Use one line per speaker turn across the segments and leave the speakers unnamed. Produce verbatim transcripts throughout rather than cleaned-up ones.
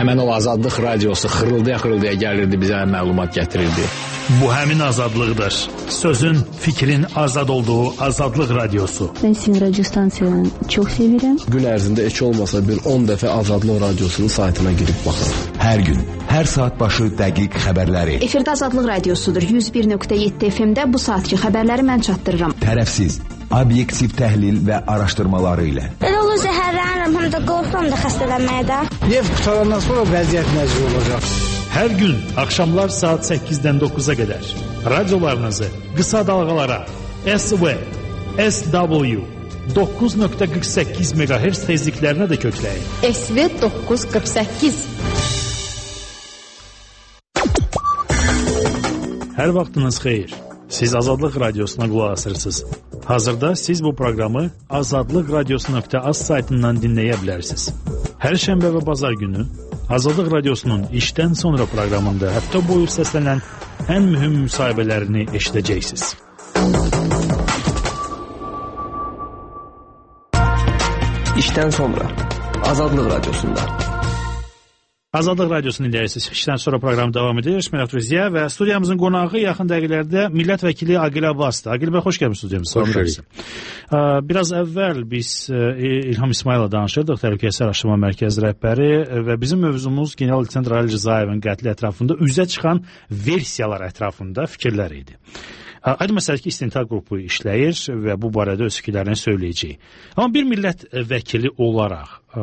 Həmən o Azadlıq radiosu xırıldaya-xırıldaya gəlirdi, bizə məlumat gətirirdi.
Bu həmin azadlıqdır. Sözün, fikrin azad olduğu Azadlıq radiosu.
Ben sizin radyo stansiyanı çok severim.
Gün ərzində heç olmasa bir on dəfə Azadlıq radiosunun saytına girib baxın.
Hər gün, hər saat başı dəqiq xəbərləri.
Efirdə Azadlıq radiosudur. yüz bir nöqtə yeddi F M-də bu saatki xəbərləri mən çatdırıram.
Tərəfsiz, obyektiv təhlil və araşdırmaları ilə.
Elə olur zəhərlənirəm, həm də qorxuram da xəstələnməyə də.
Neft qutarandan sonra vəziyyət necə olacaq?
Hər gün axşamlar saat səkkizdən doqquza qədər radiolarınızı qısa dalğalara S V, S W doqquz nöqtə qırx səkkiz meqahertz tezliklərinə də kökləyin.
S V doqquz qırx səkkiz.
Hər vaxtınız xeyir. Siz Azadlıq radiosuna qulaq asırsınız. Hazırda siz bu proqramı azadlıq radiosu nöqtə az saytından dinləyə bilərsiniz. Hər şənbə və bazar günü Azadlıq radiosunun işdən sonra proqramında həftə boyu səslənən ən mühüm müsahibələrini eşidəcəksiniz.
İşdən sonra Azadlıq radiosunda.
Azadlıq radiosunu dinləyirsiniz. İşdən sonra proqram davam edir. Mən Əfruziyə və studiyamızın qonağı yaxın dəqiqələrdə millət vəkili Aqil Abbasdır. Aqil bəy, xoş gəlmişsiniz studiyamıza.
Xoş gəldiniz.
Biraz əvvəl biz İlham İsmayıl'la danışırdıq, Təhlükəsizlik Araşdırma Mərkəzi rəhbəri və bizim mövzumuz general-leytenant Ali Rzayevin qətli ətrafında üzə çıxan versiyalar ətrafında fikirlər idi. Aydın məsələdir ki, istintaq qrupu işləyir və bu barədə öz fikirlərini söyləyəcək. Amma bir millət vəkili olaraq, ə,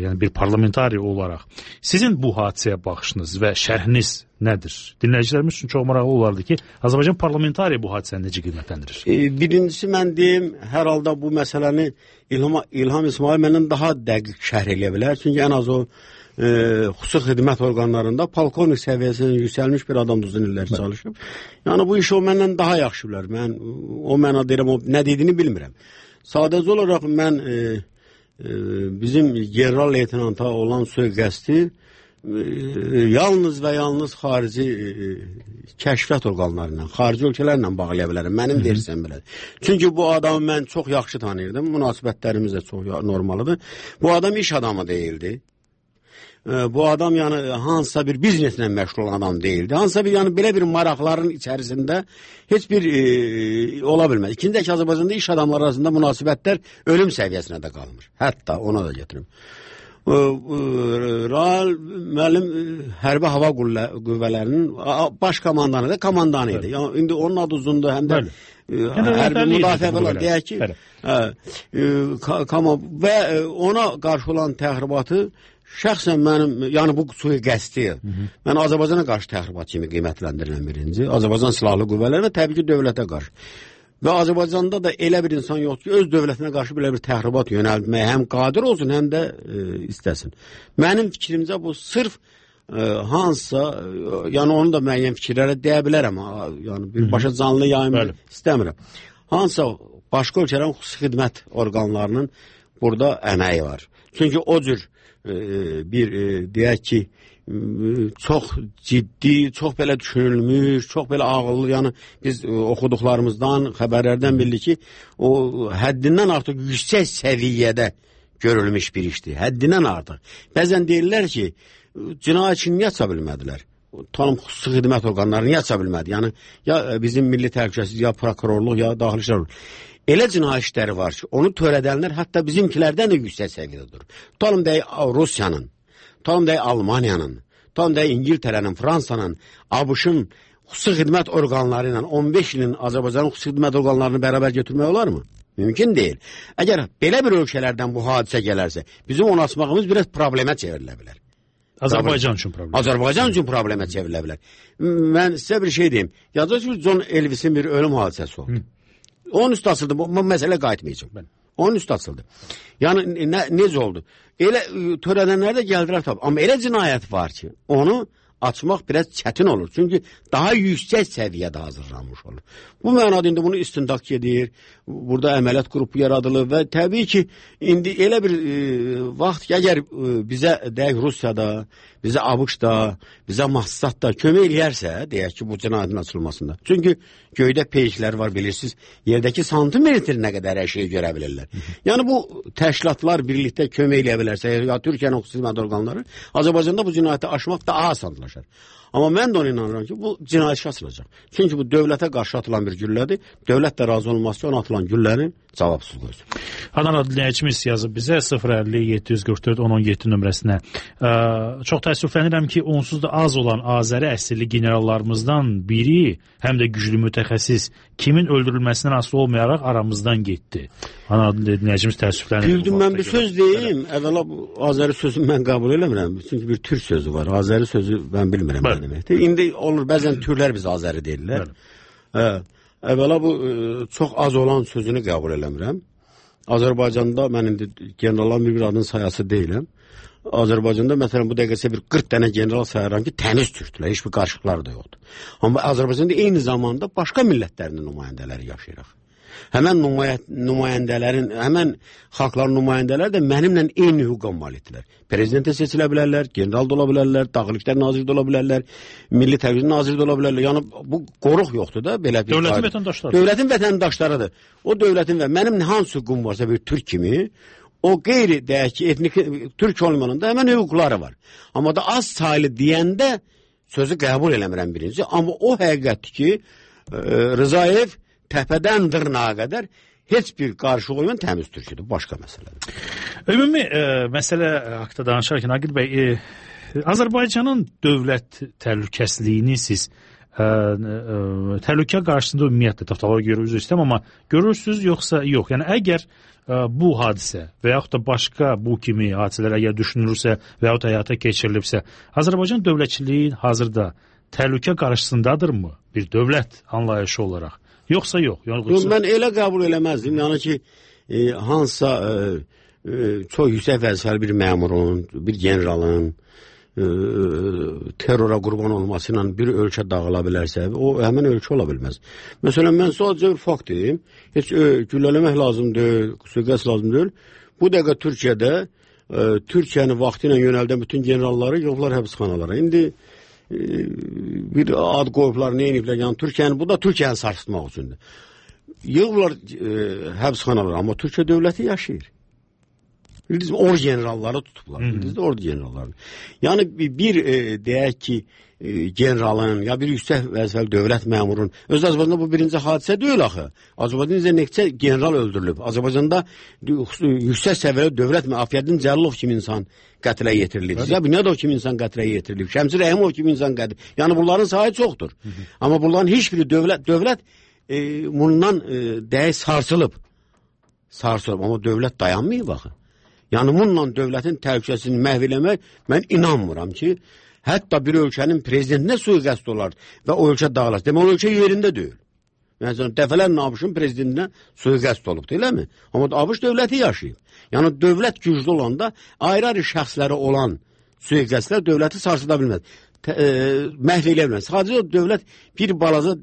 yəni bir parlamentari olaraq sizin bu hadisəyə baxışınız və şərhiniz nədir? Dinləyicilərimiz üçün çox maraqlı olardı ki, Azərbaycan parlamentari bu hadisəni necə qiymətləndirir?
E, birincisi mən deyim, hər halda bu məsələni İlham, İlham İsmail məndən daha dəqiq şərh eləyə bilər. Çünki ən az o e, xüsusi xidmət orqanlarında polkovnik səviyyəsindən yüksəlmiş bir adam uzun illər çalışıb. Yəni bu işi o məndən daha yaxşı bilər. Mən o mənada deyirəm, o nə dediyini bilmirəm. Sadəcə olaraq mən e, e, bizim general-leytenanta olan sui-qəsdi e, yalnız və yalnız xarici e, kəşfiyyat orqanlarından, xarici ölkələrlə bağlaya bilərəm. Mənim versəm belədir. Çünki bu adamı mən çox yaxşı tanıyırdım. Münasibətlərimiz də çox normalıdır. Bu adam iş adamı deyildi. Bu adam yəni hansısa bir bizneslə məşğul olan adam deyildi. Hansısa bir yəni belə bir maraqların içərisində heç bir e, ola bilməz. İkinci ki, Azərbaycanda iş adamları arasında münasibətlər ölüm səviyyəsinə də qalmır. Hətta ona da gətirim. Raal müəllim hərbi hava qüvvələrinin baş komandanı da komandanı idi. Yəni indi onun adı uzundur, həm də hərbi müdafiə var deyək ki, hə, və ona qarşı olan təxribatı şəxsən mənim, yəni bu sui-qəsdi, mən Azərbaycana qarşı təxribat kimi qiymətləndirilən birinci, Azərbaycan silahlı qüvvələri və təbii ki, dövlətə qarşı. Və Azərbaycanda da elə bir insan yoxdur ki, öz dövlətinə qarşı belə bir təxribat yönəldməyə həm qadir olsun, həm də e, istəsin. Mənim fikrimcə bu sırf e, hansısa, e, yəni onu da müəyyən fikirlərə deyə bilərəm, yəni birbaşa canlı yayımı istəmirəm. Hansısa başqa ölkələrin xüsusi xidmət orqanlarının burada əməyi var. Çünki o cür e, bir, e, deyək ki, çox ciddi, çox belə düşünülmüş, çox belə ağıllı, yəni biz e, oxuduqlarımızdan, xəbərlərdən bildik ki, o həddindən artıq yüksək səviyyədə görülmüş bir işdir, həddindən artıq. Bəzən deyirlər ki, cinayətçini niyə aça bilmədilər? Tanım xüsusi xidmət orqanları niyə aça bilmədi? Yəni, ya bizim milli təhlükəsizlik, ya prokurorluq, ya daxili işlər. Elə cinayət işləri var ki, onu törədənlər hətta bizimkilərdən də yüksək səviyyədə durur. Tutalım deyək Rusiyanın, tutalım deyək Almaniyanın, tutalım deyək İngiltərənin, Fransanın, ABŞ-ın xüsusi xidmət orqanları ilə on beş ilin Azərbaycanın xüsusi xidmət orqanlarını bərabər götürmək olar mı? Mümkün deyil. Əgər belə bir ölkələrdən bu hadisə gələrsə, bizim onu açmağımız biraz problemə çevrilə bilər.
Azərbaycan üçün problem.
Azərbaycan üçün problemə çevrilə bilər. Mən sizə bir şey deyim. Yazıcı John Elvis'in bir ölüm hadisəsi oldu. Hı. Onun üstü açıldı. Bu, bu məsələ qayıtmayacaq. Ben. Onun üstü açıldı. Yəni nə, necə oldu? Elə törədənlər də gəldilər tabi. Amma elə cinayət var ki, onu açmaq biraz çətin olur. Çünki daha yüksək səviyyədə hazırlanmış olur. Bu mənada indi bunu istintaq gedir. Burada əməliyyat qrupu yaradılır və təbii ki, indi elə bir e, vaxt ki, əgər e, bizə deyək Rusiyada, bizə ABŞ-da, bizə Mossad-da kömək eləyərsə, deyək ki, bu cinayətin açılmasında. Çünki göydə peyklər var, bilirsiniz, yerdəki santimetrinə qədər hər şeyi görə bilirlər. Yəni bu təşkilatlar birlikdə kömək eləyə bilərsə, ya Türkiyənin xüsusi orqanları, Azərbaycanda bu cinayəti aşmaq daha asanlaşar. Amma mən də ona inanıram ki, bu cinayət işi açılacaq. Çünki bu dövlətə qarşı atılan bir güllədir. Dövlət də razı olmaz ki, ona atılan güllənin cavabsız qoysun.
Adnan dinləyicimiz yazıb bizə sıfır əlli yeddi yüz qırx dörd on on yeddi nömrəsinə. Ə, çox təəssüflənirəm ki, onsuz da az olan Azəri əsilli generallarımızdan biri, həm də güclü mütəxəssis, kimin öldürülməsindən asılı olmayaraq aramızdan getdi. Adnan dinləyicimiz təəssüflənir.
Bildim, mən bir söz deyim. Əvvəla bu Azəri sözünü mən qəbul eləmirəm. Çünki bir türk sözü var. Azəri sözü mən bilmirəm nə deməkdir. İndi olur, bəzən türlər biz Azəri deyirlər. Hə. Əvvəla bu çox az olan sözünü qəbul eləmirəm. Azərbaycanda mən indi generalların bir-bir adının sayası deyiləm. Azərbaycanda məsələn bu dəqiqəsə bir qırx dənə general sayıram ki, təmiz türkdülər, heç bir qarışıqları da yoxdur. Amma Azərbaycanda eyni zamanda başqa millətlərinin nümayəndələri yaşayırıq. Həmən nümayəndələrin, həmən xalqların nümayəndələri də mənimlə eyni hüquqa malikdirlər. Prezidentə seçilə bilərlər, general da ola bilərlər, Daxili İşlər naziri də ola bilərlər, Milli Təhlükəsizlik naziri də ola bilərlər. Yəni bu qoruq yoxdur da belə bir.
Dövlətin vətəndaşları.
Dövlətin vətəndaşlarıdır. O dövlətin və mənim hansı hüququm varsa bir türk kimi, o qeyri deyək ki, etnik türk olmanında həmən hüquqları var. Amma da az saylı deyəndə sözü qəbul eləmirəm birinci. Amma o həqiqətdir ki, e, Rızayev təpədən dırnağa qədər heç bir qarşı olmayan təmiz türküdür. Başqa məsələdir.
Ümumi e, məsələ haqda danışarkən Aqil bəy, e, Azərbaycanın dövlət təhlükəsizliyini siz e, e, təhlükə qarşısında ümumiyyətlə təftalara görə üzr istəyirəm, amma görürsünüz yoxsa yox? Yəni əgər e, bu hadisə və yaxud da başqa bu kimi hadisələr əgər düşünülürsə və yaxud həyata keçirilibsə, Azərbaycan dövlətçiliyi hazırda təhlükə qarşısındadırmı bir dövlət anlayışı olaraq? Yoxsa yox?
Yox, mən elə qəbul eləməzdim. Yəni ki, e, hansısa e, e, çox yüksək vəzifəli bir məmurun, bir generalın e, terrora qurban olması ilə bir ölkə dağıla bilərsə, o həmin ölkə ola bilməz. Məsələn, mən sadəcə bir fakt deyim. Heç e, güllələmək lazım deyil, suiqəst lazım deyil. Bu dəqiqə Türkiyədə e, Türkiyəni vaxtı ilə yönəldən bütün generalları yığıblar həbsxanalara. İndi bir ad qoyublar, nə ediblər, yəni Türkiyəni, bu da Türkiyəni sarsıtmaq üçündür. Yığıblar e, həbsxanalar, amma Türkiyə dövləti yaşayır. Bildiniz mi, or generalları tutublar, bildiniz mi, ordu generalları. Yəni bir e, deyək ki, e, generalın, ya bir yüksək vəzifəli dövlət məmurun, öz Azərbaycanda bu birinci hadisə deyil axı. Azərbaycanda neçə general öldürülüb. Azərbaycanda yüksək səviyyəli dövlət müafiyyətinin Cəlilov kimi insan qətlə yetirilib. Ya Bünyadov kimi insan qətlə yetirilib. Şəmsi Rəhimov kimi insan qətlə. Yəni bunların sayı çoxdur. Hı -hı. Amma bunların heç biri dövlət dövlət e, bundan e, dəyə sarsılıb. Sarsılıb. Amma dövlət dayanmayıb axı. Yəni bununla dövlətin təhlükəsizliyini məhv eləmək mən inanmıram ki, hətta bir ölkənin prezidentinə sui-qəsd olar və o ölkə dağılar. Demək o ölkə yerində deyil. Yəni dəfələrlə ABŞ-ın prezidentinə sui-qəsd olubdur, eləmi? Amma ABŞ dövləti yaşayıb. Yəni dövlət güclü olanda ayrı-ayrı şəxsləri olan sui-qəsdlər dövləti sarsıda bilməz. E, məhv eləyə bilməz. Sadəcə dövlət bir balaca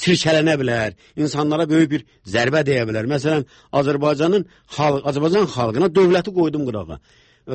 sirkələnə bilər, insanlara böyük bir zərbə deyə bilər. Məsələn, Azərbaycanın xalq, Azərbaycan xalqına dövləti qoydum qırağa.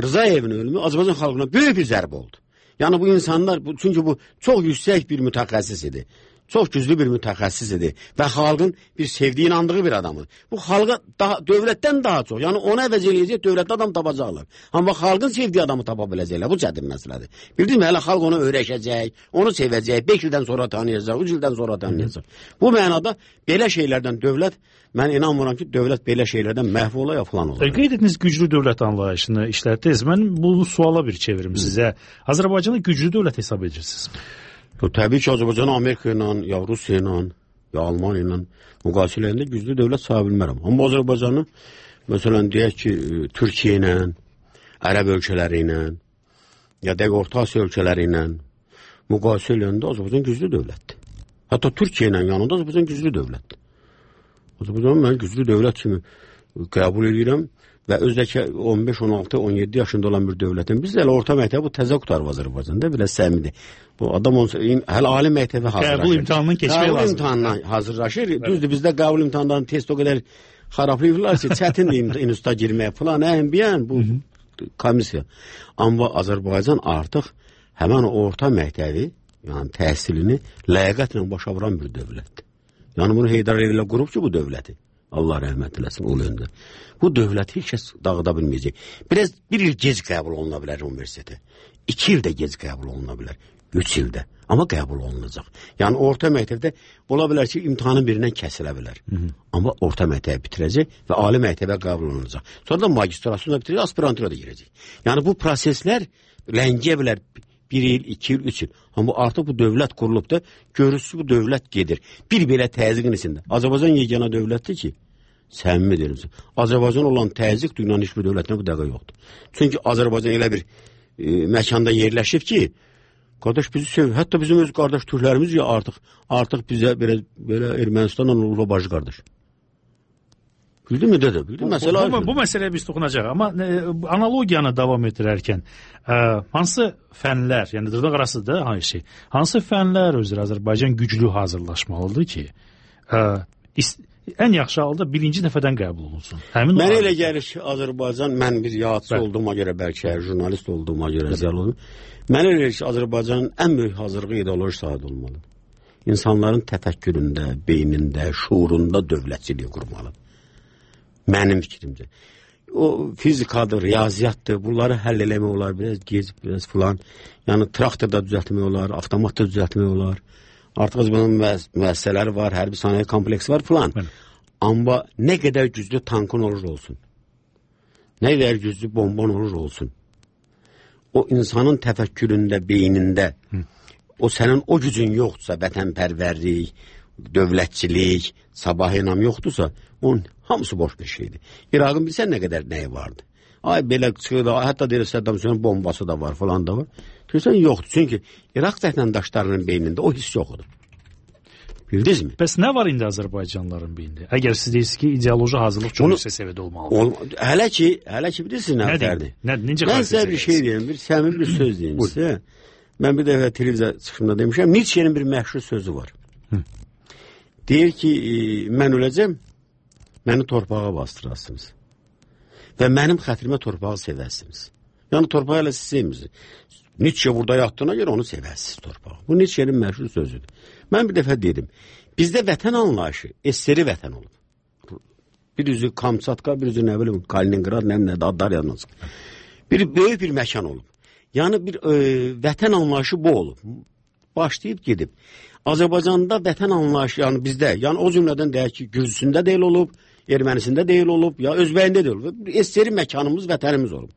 Rızayevin ölümü Azərbaycan xalqına böyük bir zərbə oldu. Yəni bu insanlar, bu, çünki bu çox yüksək bir mütəxəssis idi. Çox güclü bir mütəxəssis idi və xalqın bir sevdiyi, inandığı bir adamı. Bu xalqa daha, dövlətdən daha çox, yəni ona əvəz eləyəcək dövlətdə adam tapacaqlar. Amma xalqın sevdiyi adamı tapa biləcəklər, bu çətin məsələdir. Bildin mi, hələ xalq onu öyrəşəcək, onu sevəcək, beş ildən sonra tanıyacaq, üç ildən sonra tanıyacaq. Bu mənada belə şeylərdən dövlət, mən inanmıram ki, dövlət belə şeylərdən məhv ola ya falan olar.
Qeyd etdiniz güclü dövlət anlayışını işlətdiniz. Mən bunu suala bir çevirim sizə. Azərbaycanı güclü dövlət hesab edirsiniz.
O, təbii ki, Azərbaycanı Amerika ilə, ya Rusiya ilə, ya Almaniya ilə müqayisə eləyəndə güclü dövlət saya bilmərəm. Amma Azərbaycanı, məsələn, deyək ki, Türkiyə ilə, Ərəb ölkələri ilə, ya dəqiq Orta Asiya ölkələri ilə müqayisə eləyəndə Azərbaycan güclü dövlətdir. Hətta Türkiyə ilə yanında Azərbaycan güclü dövlətdir. Azərbaycanı mən güclü dövlət kimi qəbul edirəm və özdəki on beş, on altı, on yeddi yaşında olan bir dövlətin biz elə orta məktəbi bu təzə qutarıb Azərbaycanda belə səmimidir. Bu adam onsa hələ ali məktəbə hazırlaşır.
Qəbul imtahanından keçmək lazım.
Qəbul imtahanından hazırlaşır. Evet. Düzdür, bizdə qəbul imtahanından test o qədər xarablayırlar ki, çətindir instituta girmək falan, əhəmbiyən bu komissiya. Amma Azərbaycan artıq həmən orta məktəbi, yəni təhsilini ləyaqətlə başa vuran bir dövlətdir. Yəni bunu Heydər Əliyev qurub ki, bu dövləti. Allah rəhmət eləsin o yöndə. Bu dövləti heç kəs dağıda bilməyəcək. Biraz bir il gec qəbul oluna bilər universitetə. İki ildə gec qəbul oluna bilər. Üç ildə. Amma qəbul olunacaq. Yəni orta məktəbdə ola bilər ki, imtahanın birindən kəsilə bilər. Hı -hı. Amma orta məktəbi bitirəcək və ali məktəbə qəbul olunacaq. Sonra da magistrasyonu da bitirəcək, aspirantura da girəcək. Yəni bu proseslər ləngiyə bilər bir il, iki il, üç il. Amma artıq bu dövlət qurulub da görürsünüz bu dövlət gedir. Bir belə təzyiqin içində. Azərbaycan yeganə dövlətdir ki, səmimi deyirəm. Azərbaycan olan təzyiq dünyanın heç bir dövlətində bu dəqiqə yoxdur. Çünki Azərbaycan elə bir e, məkanda yerləşib ki, qardaş bizi sev, hətta bizim öz qardaş türklərimiz ya artıq artıq bizə belə belə Ermənistanla olub bacı qardaş. Bildin mi dədə? Bildin
bu, məsələ bu, bu, bu məsələyə biz toxunacaq. Amma e, analogiyanı davam etdirərkən e, hansı fənlər, yəni dırnaq arasıdır hansı şey, hansı fənlər özü Azərbaycan güclü hazırlaşmalıdır ki, e, ən yaxşı halda birinci dəfədən qəbul olunsun. Həmin
mən elə gəlir ki, Azərbaycan, mən bir yadçı olduğuma görə, bəlkə jurnalist olduğuma görə zəl olum. Mən elə gəlir ki, Azərbaycanın ən böyük hazırlığı ideoloji sahədə olmalı. İnsanların təfəkküründə, beynində, şuurunda dövlətçiliyi qurmalıdır. Mənim fikrimcə. O fizikadır, riyaziyyatdır, bunları həll eləmək olar, biraz gec, biraz filan. Yəni traktorda düzəltmək olar, avtomatda düzəltmək olar. Artıq bunun müəssisələri var, hərbi sənaye kompleksi var filan. Amma nə qədər güclü tankın olur olsun, nə qədər güclü bomban olur olsun, o insanın təfəkküründə, beynində, Hı. o sənin o gücün yoxdursa, vətənpərvərlik, dövlətçilik, sabah inam yoxdursa, onun hamısı boş bir şeydir. İraqın bilsən nə qədər nəyi vardı? Ay belə çıxır, hətta deyir Səddam Hüseynin bombası da var falan da var. Görürsən yoxdur. Çünki İraq vətəndaşlarının beynində o hiss yoxdur. Bildiniz mi?
Bəs nə var indi Azərbaycanlıların beynində? Əgər siz deyirsiniz ki, ideoloji hazırlıq çox yüksək səviyyədə olmalıdır.
Ol, hələ ki, hələ ki bilirsiniz nə fərqdir?
Nə, necə
mən sizə bir şey deyim, bir səmimi bir söz deyim sizə. Mən bir dəfə televiziya çıxışında demişəm, Nietzsche'nin bir məşhur sözü var. Hı. Deyir ki, e, mən öləcəm, məni torpağa bastırasınız. Və mənim xətrimə torpağı sevərsiniz. Yəni torpağı elə siz sevmirsiniz. Nietzsche burada yatdığına görə onu sevərsiniz torpağı. Bu Nietzsche'nin məşhur sözüdür. Mən bir dəfə dedim, bizdə vətən anlayışı eseri vətən olub. Bir üzü Kamçatka, bir üzü nə bilim Kaliningrad, nə nə adlar yazılır. Bir böyük bir məkan olub. Yəni bir e, vətən anlayışı bu olub. Başlayıb gedib. Azərbaycanda vətən anlayışı, yəni bizdə, yəni o cümlədən deyək ki, Gürcüsündə deyil olub, Ermənisində deyil olub, ya Özbəyində deyil olub. Eseri məkanımız, vətənimiz olub.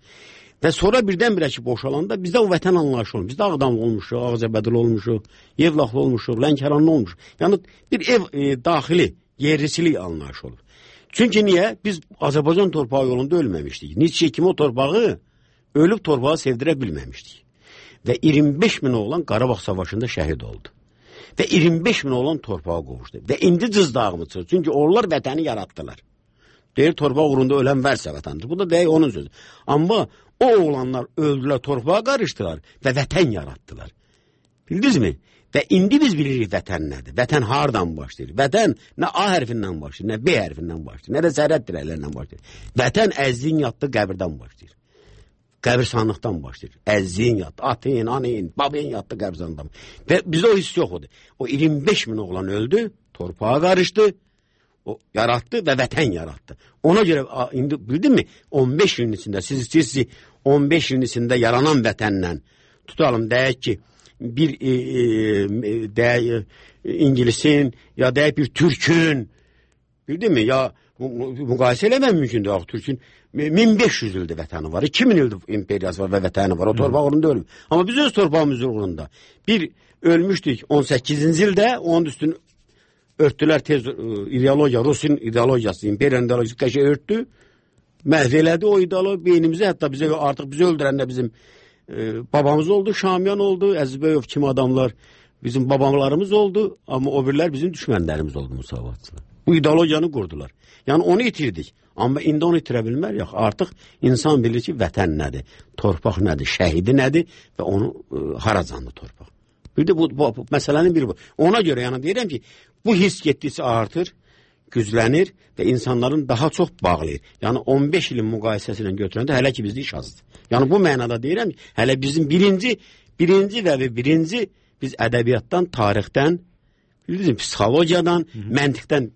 Və sonra birdən-birə ki, boşalanda bizdə o vətən anlayışı olub. Bizdə Ağdamlı olmuşuq, Ağcabədili olmuşuq, Yevlaxlı olmuşuq, Lənkəranlı olmuşuq. Yəni bir ev e, daxili, yerlisilik anlayışı olub. Çünki niyə? Biz Azərbaycan torpağı yolunda ölməmişdik. Nietzsche kimi o torpağı ölüb torpağı sevdirə bilməmişdik. Və iyirmi beş min oğlan Qarabağ Savaşında şəhid oldu. Və iyirmi beş min oğlan torpağa qovuşdu. Və indi cızdağımı çıxır. Çünki onlar vətəni yaratdılar. Deyir, torpaq uğrunda ölən vərsə vətəndir. Bu da deyək onun sözü. Amma o oğlanlar öldülər, torpağa qarışdılar və vətən yaratdılar. Bildiniz mi? Və indi biz bilirik vətən nədir? Vətən hardan başlayır? Vətən nə A hərfindən başlayır, nə B hərfindən başlayır, nə də zərrət dirəklərindən başlayır. Vətən əzliyin yatdığı qəbirdən başlayır. Qəbirsanlıqdan başlayır. Əzliyin yatdı, atın, anın, babın yatdı qəbirsanlıqdan. Və bizdə o hiss yoxdur. O iyirmi beş min oğlan öldü, torpağa qarışdı, o yaratdı və vətən yaratdı. Ona görə indi bildin mi? on beş ilin içində siz siz on beş ilin içində yaranan vətənlə tutalım deyək ki bir e, e, deyək İngilisin ya deyək bir Türkün bildin mi? Ya müqayisə eləmək mümkündür. Axı Türkün min beş yüz ildir vətəni var. iki min ildir imperiyası var və vətəni var. O torpaq uğrunda ölüb. Amma biz öz torpağımız uğrunda bir ölmüşdük on səkkizinci ildə, onun üstünü örtdülər tez ideologiya, Rusin ideologiyası, imperiyanın ideologiyası qəşə örtdü. Məhv elədi o ideologiya beynimizi, hətta bizə artıq bizi öldürən də bizim e, babamız oldu, Şamyan oldu, Əzizbəyov kimi adamlar bizim babalarımız oldu, amma o birlər bizim düşmənlərimiz oldu müsavatçılar. Bu ideologiyanı qurdular. Yəni onu itirdik. Amma indi onu itirə bilmərik. Artıq insan bilir ki, vətən nədir, torpaq nədir, şəhidi nədir və onu e, haracandı torpaq. Bir də bu, bu, bu məsələnin biri bu. Ona görə yəni deyirəm ki, bu his getdikcə artır, güclənir və insanların daha çox bağlayır. Yəni on beş ilin müqayisəsilə götürəndə hələ ki bizdə iş azdır. Yəni bu mənada deyirəm ki, hələ bizim birinci, birinci və birinci biz ədəbiyyatdan, tarixdən, bilirsiniz, psixologiyadan, Hı -hı. məntiqdən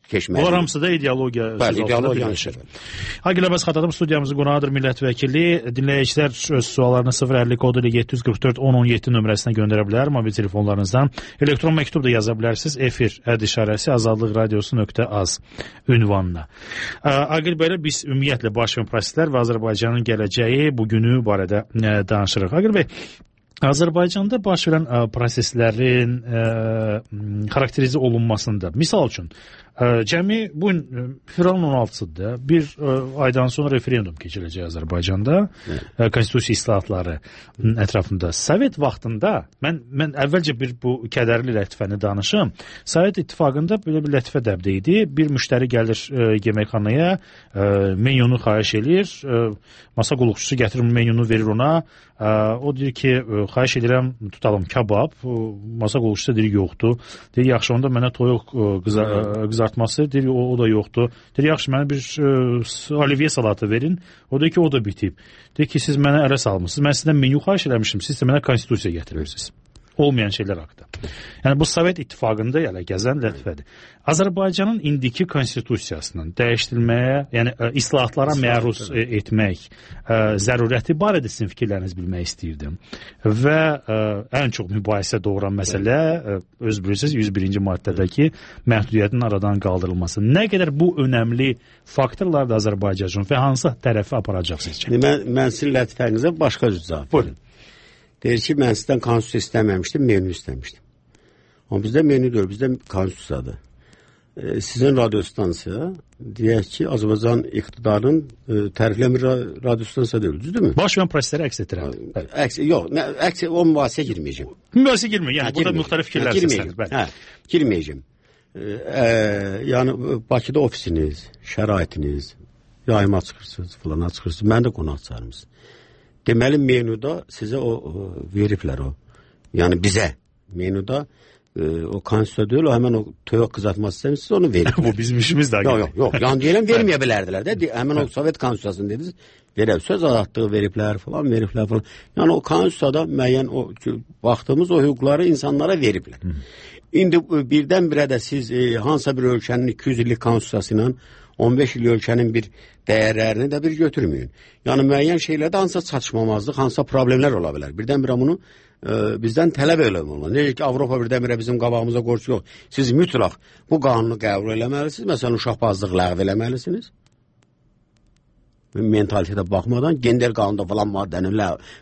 keçməli.
Onlar hamısı da ideologiya.
Bəli, ideologiya işir.
Agil Abbas Xatadov studiyamızın qonağıdır, millət vəkili. Dinləyicilər öz suallarını sıfır əlli kodu ilə yeddi yüz qırx dörd on on yeddi nömrəsinə göndərə bilər, mobil telefonlarınızdan. Elektron məktub da yaza bilərsiniz. Efir əd işarəsi azadlıq radiosu nöqtə az ünvanına. Agil bəyə biz ümumiyyətlə baş verən proseslər və Azərbaycanın gələcəyi, bugünü barədə danışırıq. Agil bəy, Azərbaycanda baş verən proseslərin ə, xarakterize olunmasında, misal üçün, ə, cəmi bu gün fevralın on altısıdır, bir ə, aydan sonra referendum keçiriləcək Azərbaycanda, ə, konstitusiya islahatları ətrafında. Sovet vaxtında, mən, mən əvvəlcə bir bu kədərli lətifəni danışım, Sovet İttifaqında belə bir lətifə dəbdə idi, bir müştəri gəlir ə, yeməkxanaya, ə, menyonu xahiş edir, ə, masa qulluqçusu gətirir menyonu verir ona, ə, o deyir ki, ə, xahiş edirəm, tutalım kabab, masa qulluqçusu deyir yoxdur, deyir yaxşı onda mənə toyuq qızar, qızartması, deyir o, o da yoxdur, deyir yaxşı mənə bir ə, olivye salatı verin, o deyir ki o da bitib, deyir ki siz mənə ələ salmışsınız, mən sizdən menyu xahiş eləmişim, siz də mənə konstitusiya getirirsiniz. Olmayan şeylər haqqında. Yəni bu Sovet İttifaqında yəni gəzən lətifədir. Azərbaycanın indiki konstitusiyasının dəyişdirilməyə, yəni ə, islahatlara məruz ə, etmək ə, zərurəti barədə sizin fikirləriniz bilmək istəyirdim. Və ə, ən çox mübahisə doğuran məsələ ə, öz bilirsiniz yüz birinci maddədəki məhdudiyyətin aradan qaldırılması. Nə qədər bu önəmli faktorlar da Azərbaycan üçün və hansı tərəfi aparacaq sizcə?
Mən, mən sizin lətifənizə başqa cür cavab verim. Deyir ki, mən sizdən konstitusiya istəməmişdim, menü istəmişdim. Amma bizdə menü deyil, bizdə konstitusiyadır. E, sizin radiostansiya, deyək ki, Azərbaycan iqtidarının e, tərifləmir radiostansiya deyil, düzdürmü?
Baş verən prosesləri əks etdirəm.
Əks, yox, nə, əks, o mübahisəyə girməyəcəm.
Mübahisəyə girməyəcəm, yəni hə, burada müxtəlif fikirlər səslənir.
Hə, girməyəcəm. E, e, yəni, Bakıda ofisiniz, şəraitiniz, yayıma çıxırsınız, filana çıxırsınız, mən də qonaq çağırmışsınız. Deməli, menuda sizə o, o veriblər o. Yəni bizə menuda e, o konstitusiya deyil, o həmən o toyuq qızartması istəmişsiniz, onu veriblər.
Bu bizim işimiz də.
Yox, yox, yox. Yəni deyiləm, verməyə bilərdilər də. Həmən o Sovet konstitusiyasını dediniz, verib, söz azadlığı veriblər falan, veriblər falan. Yəni o konstitusiyada müəyyən o baxdığımız o hüquqları insanlara veriblər. Hı. İndi birdən-birə də siz e, hansısa bir ölkənin iki yüz illik konstitusiyası ilə on beş il ölkənin bir dəyərlərini də bir götürməyin. Yəni müəyyən şeylərdə hansısa çatışmamazlıq, hansısa problemlər ola bilər. Birdən-birə bunu e, bizdən tələb eləmək. Necə ki, Avropa birdən-birə bizim qabağımıza qorxu yox. Siz mütləq bu qanunu qəbul eləməlisiniz. Məsələn, uşaqbazlıq ləğv eləməlisiniz. Mentalitetə baxmadan gender qanunda falan maddəni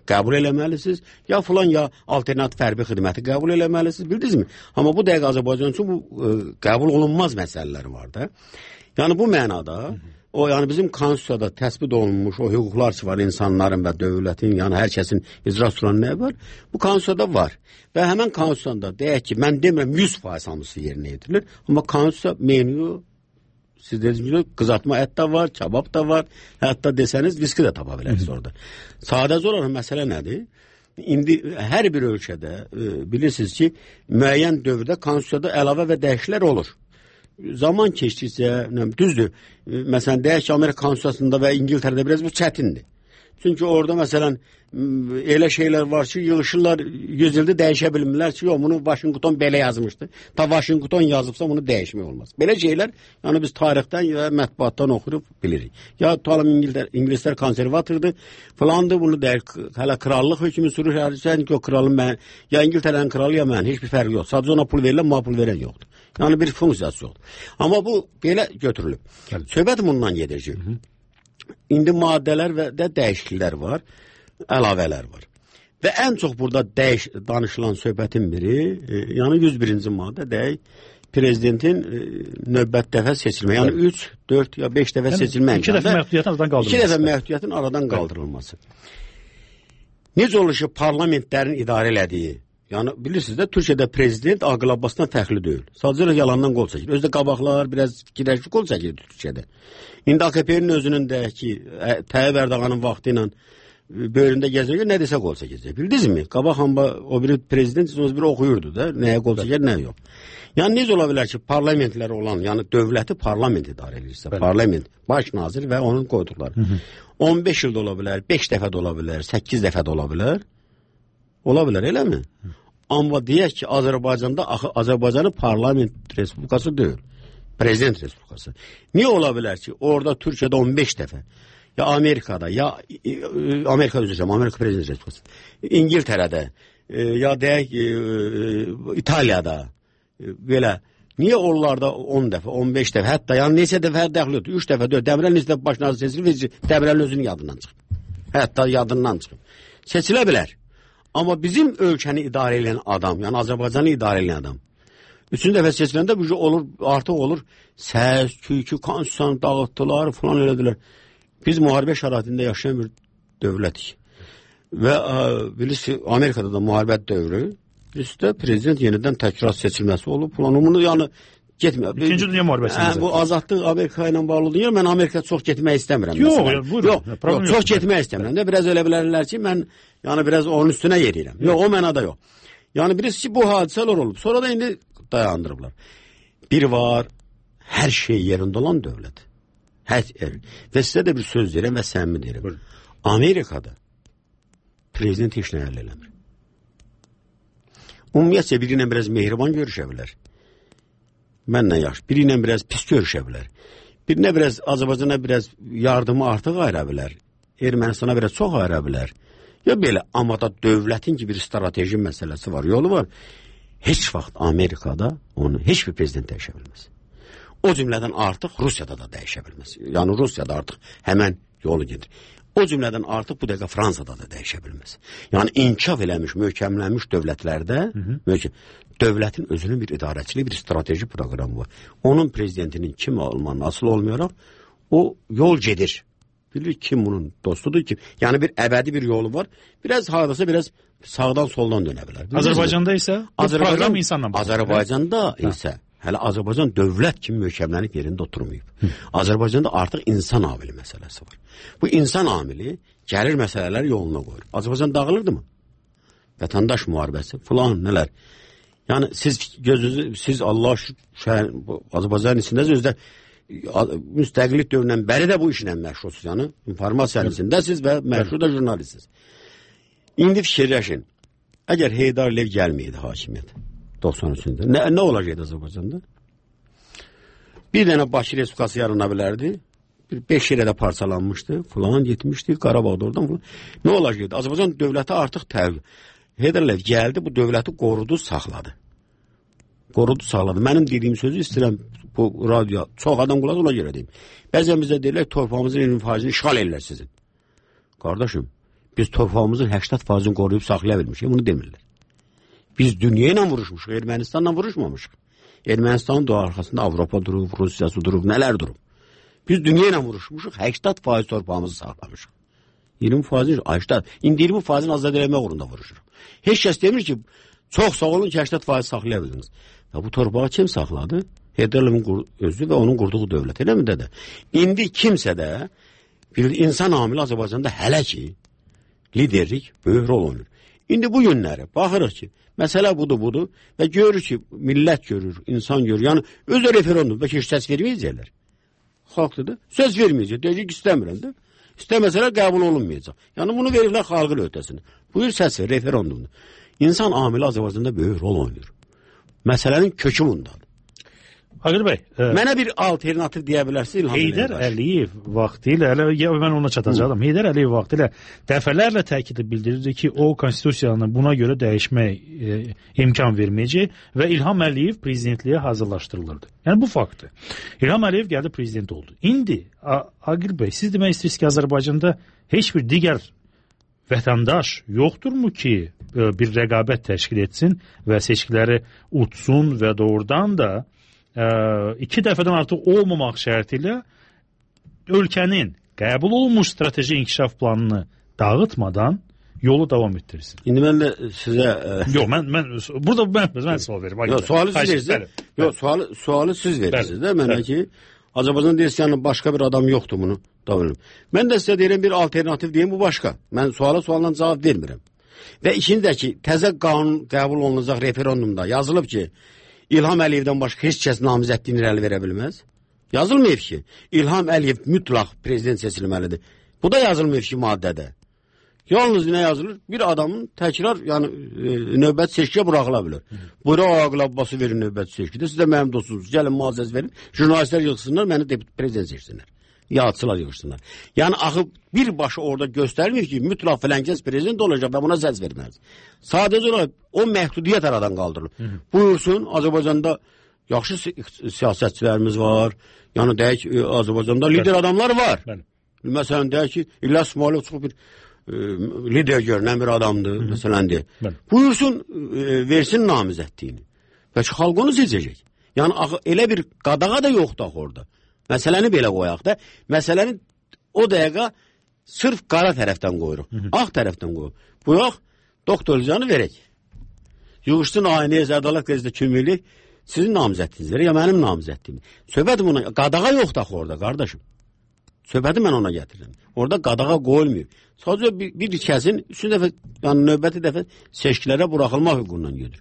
qəbul eləməlisiniz. Ya falan ya alternativ hərbi xidməti qəbul eləməlisiniz. Bildinizmi? Amma bu dəqiqə Azərbaycan üçün bu e, qəbul olunmaz məsələlər var da. Yəni bu mənada, o yəni bizim konstitusiyada təsbit olunmuş o hüquqlar var insanların və dövlətin, yəni hər kəsin icra tutulan nə var? Bu konstitusiyada var. Və həmən konstitusiyada deyək ki, mən demirəm yüz faiz hamısı yerinə yetirilir, amma konstitusiya menyu, siz dediniz ki, qızartma ət də var, kebab da var, hətta desəniz viski də tapa bilərsiniz orada. Sadəcə olaraq məsələ nədir? İndi hər bir ölkədə e, bilirsiniz ki, müəyyən dövrdə konstitusiyada əlavə və dəyişikliklər olur. Zaman keçdikcə, düzdür, məsələn, deyək ki, Amerika konstitusiyasında və İngiltərədə biraz bu çətindir. Çünki orada, məsələn, elə şeylər var ki, yığışırlar, yüz ildə dəyişə bilmirlər ki, yox, bunu Washington belə yazmışdı. Ta Washington yazıbsa, bunu dəyişmək olmaz. Belə şeylər, yəni biz tarixdən və mətbuatdan oxuyub bilirik. Ya tutalım, İngilislər konservatordur, falandır, bunu deyək, hələ krallıq hökmü sürür, sən ki, o kralın mən, ya İngiltərənin kralı, ya mən, heç bir fərqi yox. Sadəcə ona pul verirlər, ma pul verən yoxdur. Yəni bir funksiyası yoxdur. Amma bu belə götürülüb. Söhbət bundan gedəcək. İndi maddələr və də dəyişikliklər var, əlavələr var. Və ən çox burada dəyiş, danışılan söhbətin biri, e, yəni yüz birinci maddə deyək, prezidentin e, növbət dəfə seçilmə. Yəni üç, dörd ya beş dəfə yəni, seçilmə.
İki dəfə məhdudiyyətin aradan qaldırılması.
İki dəfə məhdudiyyətin aradan qaldırılması. Necə olur ki, parlamentlərin idarə elədiyi Yəni bilirsiniz də Türkiyədə prezident Aqil Abbasdan fərqli deyil. Sadəcə yalandan qol çəkir. Özdə qabaqlar biraz fikirləşib qol çəkir Türkiyədə. İndi A K P-nin özünün də ki, Tayyip Erdoğanın vaxtı ilə böyründə gəzirək, nə desə qol çəkəcək. Bildinizmi? Qabaq hamba o biri prezident o biri oxuyurdu da, nəyə qol çəkər, nəyə yox. Yəni necə ola bilər ki, parlamentlər olan, yəni dövləti parlament idarə edirsə, parlament, baş nazir və onun qoyduqları. Hı -hı. on beş ildə ola bilər, beş dəfə də ola bilər, səkkiz dəfə də ola bilər. Ola bilər, eləmi? Hı. Amma deyək ki, Azərbaycanda axı Azərbaycanın parlament respublikası deyil. Prezident respublikası. Niyə ola bilər ki, orada Türkiyədə on beş dəfə, ya Amerikada, ya Amerika üzrə, Amerika prezident respublikası, İngiltərədə, ya deyək İtaliyada, belə, niyə onlarda on dəfə, on beş dəfə, hətta yəni neçə dəfə dəxil yoxdur, üç dəfə, dörd, Dəmirəl neçə dəfə başına seçilir, Dəmirəl özünün yadından çıxıb. Hətta yadından çıxıb. Seçilə bilər. Amma bizim ölkəni idarə edən adam, yəni Azərbaycanı idarə edən adam, üçüncü dəfə seçiləndə bu olur, artıq olur, səs, küykü, konstitusiyanı dağıtdılar, falan elədilər. Biz müharibə şəraitində yaşayan bir dövlətik. Və ə, bilirsiniz, Amerikada da müharibət dövrü, bilirsiniz də prezident yenidən təkrar seçilməsi olub, falan. Bunu yəni getmir.
İkinci Dünya müharibəsində.
Hə, bu azadlıq Amerika ilə bağlıdır. Yəni mən Amerikaya çox getmək istəmirəm.
Yox, buyurun.
Yox, yox, çox getmək istəmirəm. Də biraz elə bilərlər ki, mən yəni biraz onun üstünə yeriyirəm. Yox, o mənada yox. Yəni bilirsiniz ki, bu hadisələr olub. Sonra da indi dayandırıblar. Bir var, hər şey yerində olan dövlət. Hər yer. Və sizə də bir söz deyirəm və səmimi deyirəm. Buyurun. Amerikada prezident heç nə əldə eləmir. Ümumiyyətcə biri ilə biraz mehriban görüşə bilər. Mənlə yaxşı. Biri ilə biraz pis görüşə bilər. Birinə biraz Azərbaycana biraz yardımı artıq ayıra bilər. Ermənistana biraz çox ayıra bilər. Ya belə, amma da dövlətin ki bir strateji məsələsi var, yolu var. Heç vaxt Amerikada onu heç bir prezident dəyişə bilməz. O cümlədən artıq Rusiyada da dəyişə bilməz. Yəni Rusiyada artıq həmən yolu gedir. O cümlədən artıq bu dəqiqə Fransada da dəyişə bilməz. Yəni inkişaf eləmiş, möhkəmlənmiş dövlətlərdə hı -hı. Möhkəm, dövlətin özünün bir idarəçiliyi, bir strateji proqramı var. Onun prezidentinin kim olmanın asıl olmayaraq o yol gedir. Bilir kim bunun dostudur ki, yəni bir əbədi bir yolu var. Biraz hardasa biraz sağdan soldan dönə bilər.
Azərbaycanda isə bu
Azərbaycan,
proqram insanla bağlı.
Azərbaycanda isə hələ Azərbaycan dövlət kimi möhkəmlənib yerində oturmayıb. Hı. Azərbaycanda artıq insan amili məsələsi var. Bu insan amili gəlir məsələlər yoluna qoyur. Azərbaycan dağılırdı mı? Vətəndaş müharibəsi falan nələr. Yəni siz gözünüzü, siz Allah şəhər, Azərbaycanın içindəsiz, özdə müstəqillik dövründən bəri də bu işlə məşğulsuz. Yəni informasiyanın içindəsiz və məşğul da jurnalistsiniz. İndi fikirləşin. Əgər Heydar Əliyev gəlməyəydi hakimiyyət doxsan üçüncü nə, nə olacaqdı Azərbaycanda? Bir dənə Bakı Respublikası yarana bilərdi. Bir beş yerə də parçalanmışdı. Falan getmişdi. Qarabağda oradan falan. Nə olacaqdı? Azərbaycan dövləti artıq təvəqqə. Heydar Əliyev gəldi, bu dövləti qorudu, saxladı. Qorudu, saxladı. Mənim dediyim sözü istəyirəm bu radyo, çox adam qulaq ona görə deyim. Bəzən bizə deyirlər, torpağımızın iyirmi faizini işğal edirlər sizin. Qardaşım, biz torpağımızın səksən faizini qoruyub saxlaya bilmişik, bunu demirlər. Biz dünya ilə vuruşmuşuq, Ermənistanla vuruşmamışıq. Ermənistanın da arxasında Avropa durub, Rusiyası durub, nələr durub. Biz dünya ilə vuruşmuşuq, səksən faiz torpağımızı saxlamışıq. iyirmi faizini, səksən, indi iyirmi faizini azad eləmək uğrunda vuruşuruq. Heç kəs demir ki, çox sağ olun ki, səksən faiz saxlaya bildiniz. Ya bu torpağı kim saxladı? Heydar Əliyevin özü və onun qurduğu dövlət, elə mi dədə? İndi kimsə də bir insan amili Azərbaycanda hələ ki liderlik böyük rol oynayır. İndi bu günləri baxırıq ki, məsələ budur, budur və görür ki, millət görür, insan görür. Yəni özü referendum, bəlkə heç səs verməyəcəklər. Xalqdır da, söz verməyəcək, deyəcək ki, istəmirəm də. İstəməsələr qəbul olunmayacaq. Yəni bunu verirlər xalqın öhdəsinə. Buyur səs ver, referendumdur. İnsan amili Azərbaycanda böyük rol oynayır. Məsələnin kökü bundadır.
Aqil bəy, e,
mənə bir alternativ deyə bilərsiniz?
Heydar Əliyev vaxtilə, ya mən ona çatacağam. Heydar Əliyev vaxtilə dəfələrlə təkidlə bildirirdi ki, o konstitusiyanı buna görə dəyişmək e, imkan verməyəcək və İlham Əliyev prezidentliyə hazırlaşdırılırdı. Yəni bu faktdır. İlham Əliyev gəldi prezident oldu. İndi Aqil bəy, siz demək istəyirsiniz ki, Azərbaycanda heç bir digər vətəndaş yoxdurmu ki, bir rəqabət təşkil etsin və seçkiləri utsun və doğrudan da ə, iki dəfədən artıq olmamaq şərti ilə ölkənin qəbul olunmuş strateji inkişaf planını dağıtmadan yolu davam etdirsin.
İndi mən də sizə...
Yox, mən, mən, burada mən, mən sual verim.
Yox, sualı siz verirsiniz. Yox, sualı, sualı siz verirsiniz də mənə ki, Azərbaycan deyirsən, başqa bir adam yoxdur bunu da bilim. Mən də sizə deyirəm, bir alternativ deyim, bu başqa. Mən suala sualdan cavab vermirəm. Və ikinci də ki, təzə qanun qəbul olunacaq referendumda yazılıb ki, İlham Əliyevdən başqa heç kəs namizədliyini irəli verə bilməz. Yazılmayıb ki, İlham Əliyev mütləq prezident seçilməlidir. Bu da yazılmayıb ki, maddədə. Yalnız nə yazılır? Bir adamın təkrar, yəni e, növbət seçkiyə buraxıla bilər. Buyra Aqil Abbası verin növbət seçkidə. Siz də mənim dostunuz, gəlin müazzəz verin. Jurnalistlər yığsınlar, məni prezident seçsinlər. Yağçılar yığışsınlar. Yəni axı birbaşa orada göstərilmir ki, mütləq filankəs prezident olacaq və buna səs verməlidir. Sadəcə olaraq o məhdudiyyət aradan qaldırılır. Hı -hı. Buyursun, Azərbaycanda yaxşı si siyasətçilərimiz var. Yəni deyək, Azərbaycanda lider adamlar var. Bəli. Məsələn deyək ki, İlyas İsmailov çox bir e, lider görünən bir adamdır. Hı -hı. Məsələn deyək. Bəli. Buyursun, e, versin namizədliyini. Bəlkə xalq onu seçəcək. Yəni axı elə bir qadağa da yoxdur orada. Məsələni belə qoyaq da, məsələni o dəqiqə sırf qara tərəfdən qoyuruq, hı -hı. Ağ tərəfdən qoyuruq. Buyaq, doktor Canı verək. Yığışsın aynəyə Zədalət qəzetdə köməklik, sizin namizədliyinizdir, ya mənim namizədliyim. Söhbətim ona, qadağa yoxdur orada, qardaşım. Söhbəti mən ona gətirirəm. Orada qadağa qoyulmuyor. Sadəcə bir, bir kəsin üçüncü dəfə, yəni növbəti dəfə seçkilərə buraxılmaq hüququndan gedir.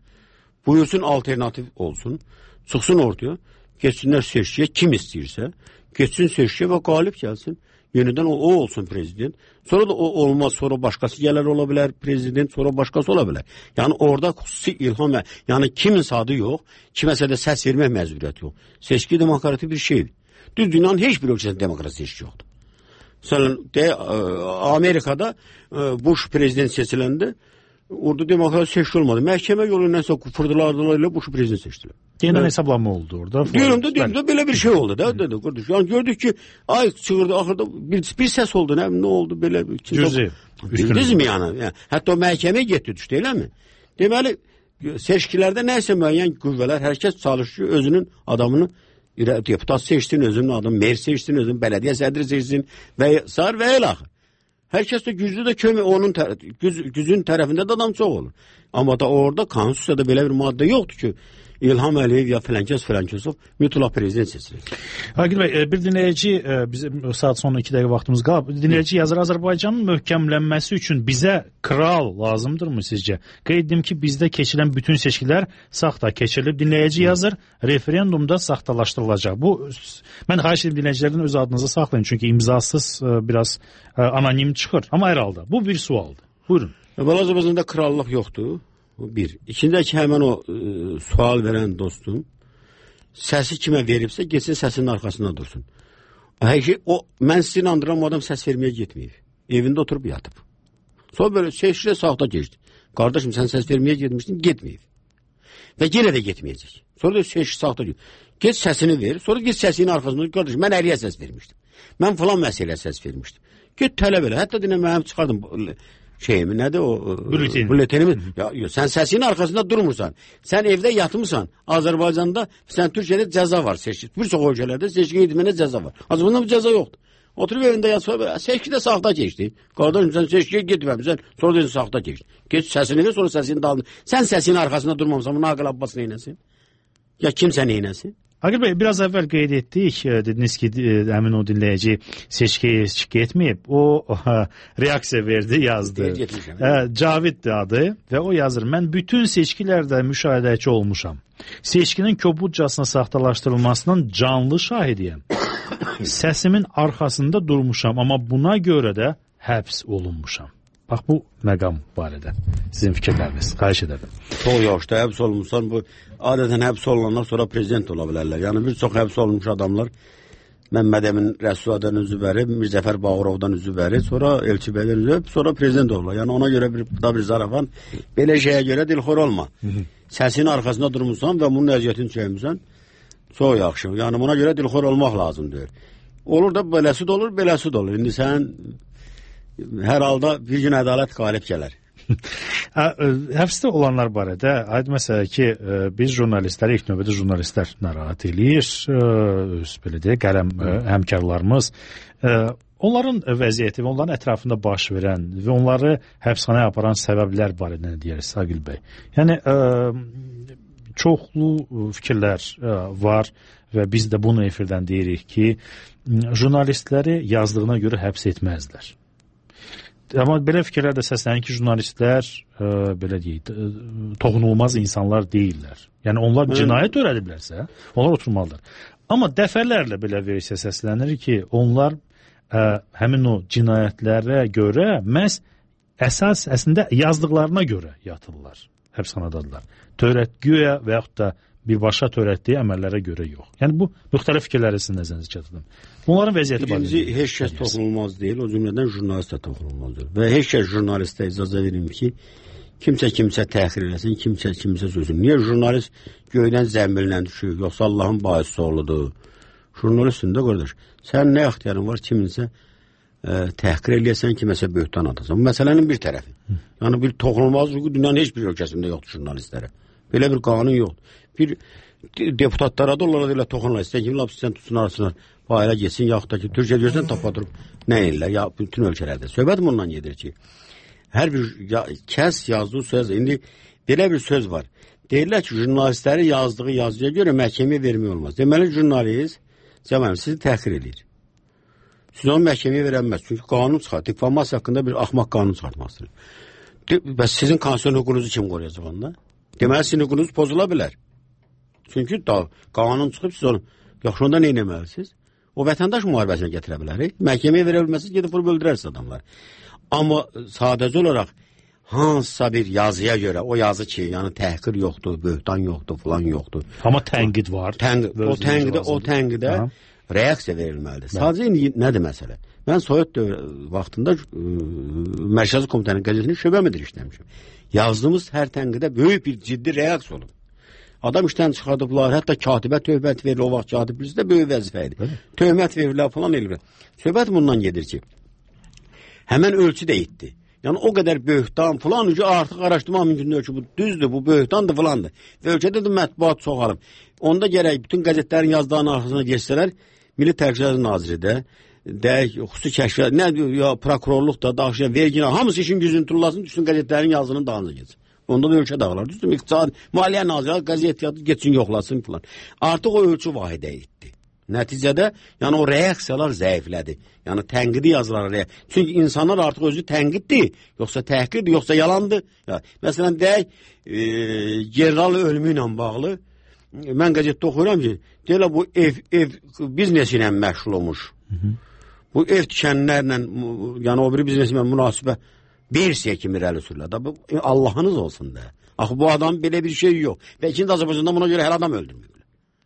Buyursun, alternativ olsun, çıxsın ortaya. Geçsinlər seçkiyə, kim istəyirsə, geçsin seçkiyə və qalib gəlsin. Yenidən o, o olsun prezident. Sonra da o olmaz, sonra başqası gələr ola bilər prezident, sonra başqası ola bilər. Yəni orada xüsusi ilham, yəni kimin adı yox, kiməsə də səs vermək məcburiyyəti yox. Seçki demokratik bir şeydir. Düz dünyanın heç bir ölkəsində demokratik seçki yoxdur. Məsələn, de, Amerikada Bush prezident seçiləndə orada demokratik seçki olmadı. Məhkəmə yolu nəsə fırdılardılar ilə Bush prezident seçdilər.
Yeniden hesablanma oldu orada.
Diyorum da, diyorum da belə bir şey oldu da. Dedi, kardeş. Yani gördük ki ay çığırdı, axırda bir, bir ses oldu. Ne, ne oldu belə?
Cüzi.
Bildiniz mi yani? yani? Hətta o məhkəməyə getdi düşdü, elə mi? Deməli, seçkilərdə nəysə müəyyən qüvvələr, hər kəs çalışıyor, özünün adamını deputat seçsin, özünün adamını mer seçsin, özünün belediye sədri seçsin və sar və el axı. Hər kəs də güclü də kömək, onun tər güc gücün tərəfində də adam çox olur. Amma da orada konstitusiyada belə bir maddə yoxdur ki, İlham Əliyev ya filankəs filankəsov mütləq prezident seçilir.
Agil bəy, bir dinləyici, bizim saat sonra iki dəqiqə vaxtımız qalıb. Dinləyici yazır, Azərbaycanın möhkəmlənməsi üçün bizə kral lazımdırmı sizcə? Qeyd edim ki, bizdə keçilən bütün seçkilər saxta keçirilib. Dinləyici yazır, referendumda saxtalaşdırılacaq. Bu, mən xahiş edim dinləyicilərdən öz adınızı saxlayın, çünki imzasız biraz anonim çıxır. Amma hər halda, bu bir sualdır. Buyurun.
Azərbaycanda krallıq yoxdur. Bir. İçindəki həmən o e, sual verən dostum səsi kimə veribsə, geçsin səsinin arxasında dursun. Həqiqi, o, mən sizi inandıram, o adam səs verməyə getməyib. Evində oturub yatıb. Sonra böyle seçkilə saxta geçdi. Qardaşım, sən səs verməyə getmişdin, getməyib. Və yenə də getməyəcək. Sonra da seçki saxta geçdi. Geç səsini ver, sonra geç səsinin arxasında. Qardaşım, mən əliyə səs vermişdim. Mən falan məsələyə səs vermişdim. Get tələb elə. Hətta dinə mənim çıxardım şeyimi, nədir o?
Bülletin.
Bülletenimi. Ya, ya, sən səsinin arxasında durmursan. Sən evdə yatmırsan. Azərbaycanda, sən Türkiyədə cəza var. Seçki. Bir çox ölkələrdə seçkiyə gitmənə cəza var. Azərbaycanda bu cəza yoxdur. Oturub evində yatsa, seçkidə saxta keçdi. Qardaşım, sən seçkiyə getməmişsən, sonra dedin saxta keçdi. Geç səsini ver, sonra səsini dalın. Sən səsinin arxasında durmamısan, bunu Aqil Abbas neynəsin? Ya kimsə neynəsin?
Agil bəy, biraz əvvəl qeyd etdik, dediniz ki, həmin o dinləyici seçkiyə getməyib, o reaksiya verdi, yazdı. Caviddir adı və o yazır, mən bütün seçkilərdə müşahidəçi olmuşam. Seçkinin kobudcasına saxtalaşdırılmasının canlı şahidiyəm. Səsimin arxasında durmuşam, amma buna görə də həbs olunmuşam. Bax, bu məqam barədə sizin fikirləriniz, xahiş edərdim.
Çox yaşda həbs olunmuşsan, bu adətən həbs olunanlar sonra prezident ola bilərlər. Yəni bir çox həbs olunmuş adamlar, Məmməd Əmin Rəsuladan üzvəri, Mirzəfər Bağırovdan üzvəri, sonra Elçi Bəydən üzvəri, sonra prezident olurlar. Yəni ona görə bir, da bir zarafan, belə şeyə görə dilxor olma. Səsinin arxasında durmuşsan və bunun əziyyətini çəkmişsən, çox yaxşı. Yəni buna görə dilxor olmaq lazımdır. Olur da beləsi də olur, beləsi də olur. İndi sən hər halda bir gün ədalət qalib gələr.
Həbsdə olanlar barədə aid məsələ ki, biz jurnalistlər, ilk növbədə jurnalistlər narahat eləyir, öz belə deyək, qələm həmkarlarımız. onların vəziyyəti və onların ətrafında baş verən və onları həbsxanaya aparan səbəblər barədə nə deyərik Saqil bəy? Yəni ə, çoxlu fikirlər ə, var və biz də bunu efirdən deyirik ki, jurnalistləri yazdığına görə həbs etməzlər. Amma belə fikirlər də səslənir ki, jurnalistlər ə, belə deyək, toxunulmaz insanlar deyirlər. Yəni onlar cinayət törədiblərsə, onlar oturmalıdır. Amma dəfələrlə belə versiya səslənir ki, onlar ə, həmin o cinayətlərə görə məhz əsas əslində yazdıqlarına görə yatırlar, həbsxanadadılar. Törətgüyə və yaxud da birbaşa törətdiyi əməllərə görə yox. Yəni bu müxtəlif fikirləri sizin nəzərinizə çatdırdım. Bunların vəziyyəti barədə. İkinci, heç kəs toxunulmaz deyil, o cümlədən jurnalist də toxunulmaz deyil. Və heç kəs jurnalistə icazə verim ki, kimsə kimsə təxir eləsin, kimsə kimsə sözün. Niyə jurnalist göydən zəmbillə düşür, yoxsa Allahın baisi oğludur? Jurnalistsin də qardaş. Sən nə ixtiyarın var kiminsə ə, təhqir eləyəsən, kiməsə böhtan atasan. Bu məsələnin bir tərəfi. Hı. Yəni bir toxunulmaz hüquq dünyanın heç bir ölkəsində yoxdur jurnalistlərə. Belə bir qanun yoxdur. Bir deputatlara da onlara elə toxunurlar. İstəyən kimi lapsizdən tutsun arasınlar, bayıra geçsin, yaxud da ki, Türkiyə görsən tapadırıb nə ellər, ya bütün ölkələrdə. Söhbət bundan gedir ki, hər bir ya, kəs yazdığı söz, indi belə bir söz var. Deyirlər ki, jurnalistləri yazdığı yazıya görə məhkəməyə vermək olmaz. Deməli, jurnalist, cəmanım, sizi təxir edir. Siz onu məhkəməyə verəmməz. Çünki qanun çıxar. Difamasiya haqqında bir axmaq qanun çıxartmazdır. Bəs sizin konstitusiyon hüququnuzu kim qoruyacaq onda? Deməli, sizin hüququnuz pozula bilər. Çünki da, qanun çıxıb, siz onu yaxşı onda nə eləməlisiniz? O vətəndaş müharibəsinə gətirə bilər. Məhkəməyə verə bilməsiniz, gedib vurub öldürərsiniz adamlar. Amma sadəcə olaraq hansısa bir yazıya görə, o yazı ki, yəni təhqir yoxdur, böhtan yoxdur, falan yoxdur. Amma tənqid var.
Tənqid, o tənqidə, o tənqidə reaksiya verilməlidir. Sadəcə indi nədir məsələ? Mən Sovet vaxtında ə, Mərkəzi Komitənin qəzetini şöbə müdiri işləmişim. Yazdığımız hər tənqidə böyük bir ciddi reaksiya olub. Adam işdən çıxardıblar, hətta katibə töhmət verilir, o vaxt katib birisi də böyük vəzifə idi. Töhmət verirlər, falan eləyirlər. Söhbət bundan gedir ki, həmən ölçü də etdi. Yəni o qədər böhtan falan ki, artıq araşdırmaq mümkündür ki, bu düzdür, bu böhtandır falandır. Və ölkədə də mətbuat çoxalıb. Onda gərək bütün qəzetlərin yazdığının arxasına geçsələr, Milli Təhlükəsizlik Naziri də, deyək, xüsusi kəşfiyyat, nə ya prokurorluq da, daxiliyyə, vergi, hamısı işin gücünü turlasın, düşsün qəzetlərin yazdığının dağınıza geçsin. Onda da ölkə dağılar. Düzdür, iqtisad, maliyyə nazirləri qəzet yadı geçsin, yoxlasın falan. Artıq o ölçü vahidə etdi. Nəticədə, yəni o reaksiyalar zəiflədi. Yəni tənqidi yazılar reaksiya. Çünki insanlar artıq özü tənqiddir, yoxsa təhqirdir, yoxsa yalandır. Ya, məsələn, deyək, e, general ölümü ilə bağlı, mən qəzetdə oxuyuram ki, deyirlər bu ev, ev biznesi ilə məşğul olmuş. Hı -hı. Bu ev tikənlərlə, yəni o biri bizneslə münasibə versiya kimi irəli sürülər. Allahınız olsun da. Axı bu adam belə bir şey yox. Və ikinci Azərbaycanda buna görə hər adam öldürmüyor.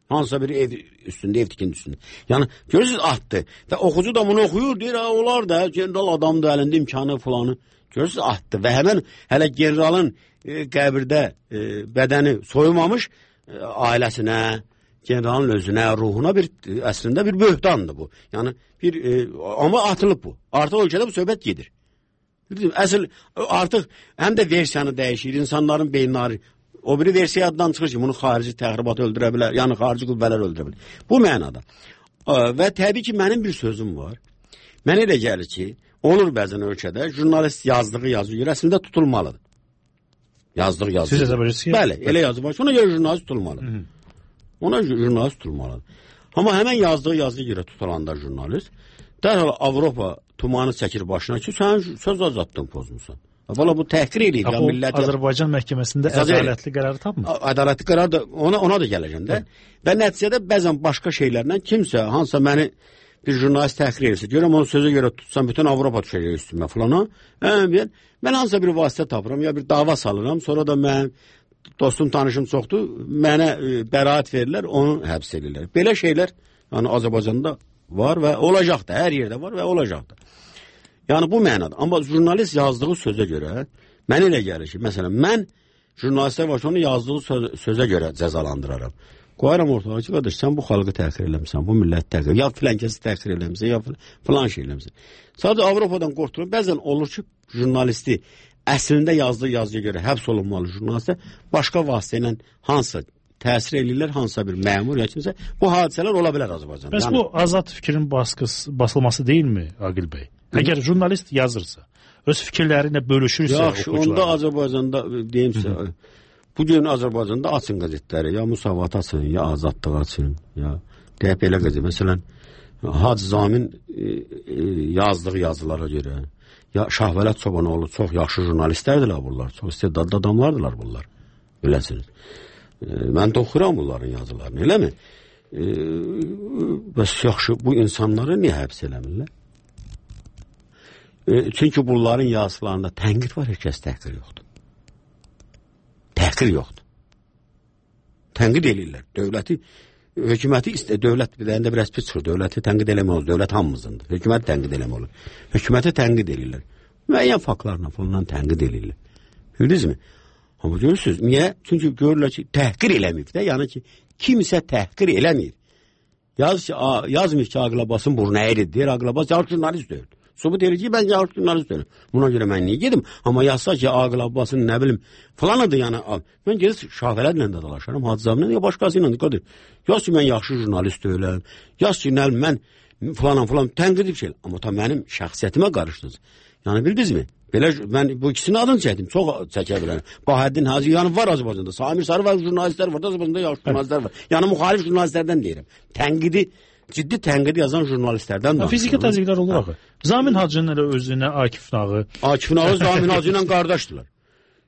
Hansısa bir ev üstündə, ev tikindi üstündə. Yəni, görürsünüz, atdı. Və oxucu da bunu oxuyur, deyir, olar da, general adamdır, əlində imkanı falanı. Görürsünüz, atdı. Və həmən hələ generalın e, qəbirdə e, bədəni soyulmamış e, ailəsinə, generalın özünə, ruhuna bir, əslində bir böhtandır bu. Yəni, bir, e, amma atılıb bu. Artıq ölkədə bu söhbət gedir. Əsl artıq həm də versiyanı dəyişir, insanların beyinləri. O biri versiya addan çıxır ki, bunu xarici təxribat öldürə bilər, yəni xarici qüvvələr öldürə bilər. Bu mənada. Və təbii ki, mənim bir sözüm var. Mənə elə gəlir ki, olur bəzən ölkədə, jurnalist yazdığı yazı görə əslində tutulmalıdır. Yazdığı yazı.
Siz hesab edirsiniz?
Bəli, elə yazı var. Ona görə jurnalist tutulmalıdır. Hı -hı. Ona jurnalist tutulmalıdır. Amma həmən yazdığı yazıya görə tutulanda jurnalist, dərhal Avropa tumanı çəkir başına ki, sən söz azadlığını pozmuşsan. Valla bu təhqir eləyir.
Ya, o millət... Azərbaycan məhkəməsində ədalətli qərarı tapmır.
Ədalətli qərar da ona, ona da gələcəm də. Və nəticədə bəzən başqa şeylərlə kimsə, hansısa məni bir jurnalist təhqir edirsə, görəm onu sözə görə tutsam, bütün Avropa düşəcək üstümə falana. Hə, mən hansısa bir vasitə tapıram, ya bir dava salıram, sonra da mən dostum, tanışım çoxdur, mənə e, bəraət verirlər, onu həbs edirlər. Belə şeylər yəni Azərbaycanda var və olacaq da, hər yerdə var və olacaq da. Yəni bu mənada. Amma jurnalist yazdığı sözə görə, mən elə gəlir ki, məsələn, mən jurnalistə var, onu yazdığı söz, sözə görə cəzalandıraram. Qoyaram ortalığa ki, qardaş, sən bu xalqı təhqir eləmişsən, bu millət təhqir, ya filan kəsi təhqir eləmişsən, ya filan şey eləmişsən. Sadəcə Avropadan qorxdurum. Bəzən olur ki, jurnalisti əslində yazdığı yazıya görə həbs olunmalı jurnalistə başqa vasitə ilə hansısa təsir edirlər hansısa bir məmur ya kimsə. Bu hadisələr ola bilər Azərbaycanda.
Bəs yəni, bu azad fikrin baskısı, basılması deyilmi Aqil bəy? Əgər jurnalist yazırsa, öz fikirlərini bölüşürsə,
yaxşı, onda Azərbaycanda deyimsə, bu gün Azərbaycanda açın qəzetləri, ya Müsavat açın, ya Azadlıq açın, ya deyək belə qəzet. Məsələn, Hacı Zamin e, e, yazdığı yazılara görə, ya Şahvələt Çobanoğlu çox yaxşı jurnalistlərdirlər bunlar, çox istedadlı adamlardılar bunlar, biləsiniz. E, mən də oxuram bunların yazılarını, eləmi? E, bəs yaxşı, bu insanları niyə həbs eləmirlər? E, çünki bunların yazılarında tənqid var, heç kəs təhqir yoxdur. Təhqir yoxdur. Tənqid eləyirlər. Dövləti, hökuməti istə, dövlət bir də biraz pis çıxır. Dövləti tənqid eləmək olur. Dövlət hamımızındır. Hökuməti tənqid eləmək olur. Hökuməti tənqid eləyirlər. Müəyyən faktlarla falan tənqid eləyirlər. Bildinizmi? Amma görürsünüz, niyə? Çünki görürlər ki, təhqir eləməyib də. Yəni ki, kimsə təhqir eləməyir. Yaz ki, yazmır ki, Ağlabasın burnu əyridir. Deyir, Ağlabas yaxşı jurnalist deyir. Subut edir ki, ben yaxşı jurnalist deyirəm. Buna görə mən niyə gedim? Amma yazsa ki, Aqil Abbasın nə bilim falanıdır yəni. Mən gedib Şahvələdlə də dalaşaram, Hacı Zaminlə ya başqası ilə də. Yaz ki, mən yaxşı jurnalist deyiləm. Yaz ki, nə mən falan falan tənqid bir şey. Amma ta mənim şəxsiyyətimə qarışdınız. Yəni bildinizmi? Belə mən bu ikisinin adını çəkdim. Çox çəkə bilərəm. Bahəddin Hacı yəni var Azərbaycanda. Samir Sarı var, jurnalistlər var. Azərbaycanda yaxşı jurnalistlər var. Yəni müxalif jurnalistlərdən deyirəm. Tənqidi ciddi tənqid yazan jurnalistlərdən danışır.
Fiziki təzyiqlər olur axı. Zamin Hacının elə özünə Akif Nağı.
Akif Nağı Zamin Hacı ilə qardaşdılar.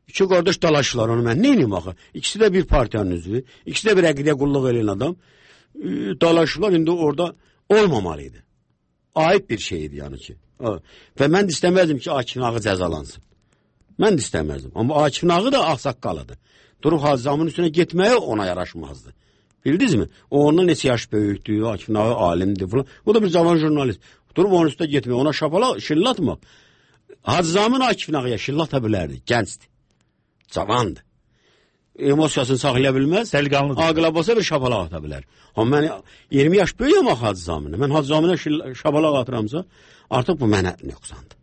İki qardaş dalaşdılar onu mən. Nə edeyim axı? İkisi də bir partiyanın üzvü, ikisi də bir əqidəyə qulluq edən adam. E, dalaşdılar, indi orada olmamalıydı. Ayıp bir şeydi yəni ki. Və mən də istəməzdim ki, Akif Nağı cəzalansın. Mən də istəməzdim. Amma Akif Nağı da ağsaqqalıdır. Durub Hacı Zamin'in üstünə getməyə ona yaraşmazdı. Bildiniz mi? O ondan neçə yaş böyükdür, Akif Nağı alimdir falan. O da bir cavan jurnalist. Durub onun üstə getmək, ona şapala şillatmaq. Hacı Zamin Akif Nağıya şillata bilərdi, gəncdir. Cavandır. Emosiyasını saxlaya bilməz.
Dəliqanlıdır.
Aqil Abbasa bir şapalaq ata bilər. Amma mən iyirmi yaş böyüyəm axı Hacı Zaminə. Mən Hacı Zaminə şapalaq atıramsa, artıq bu mənə nöqsandır.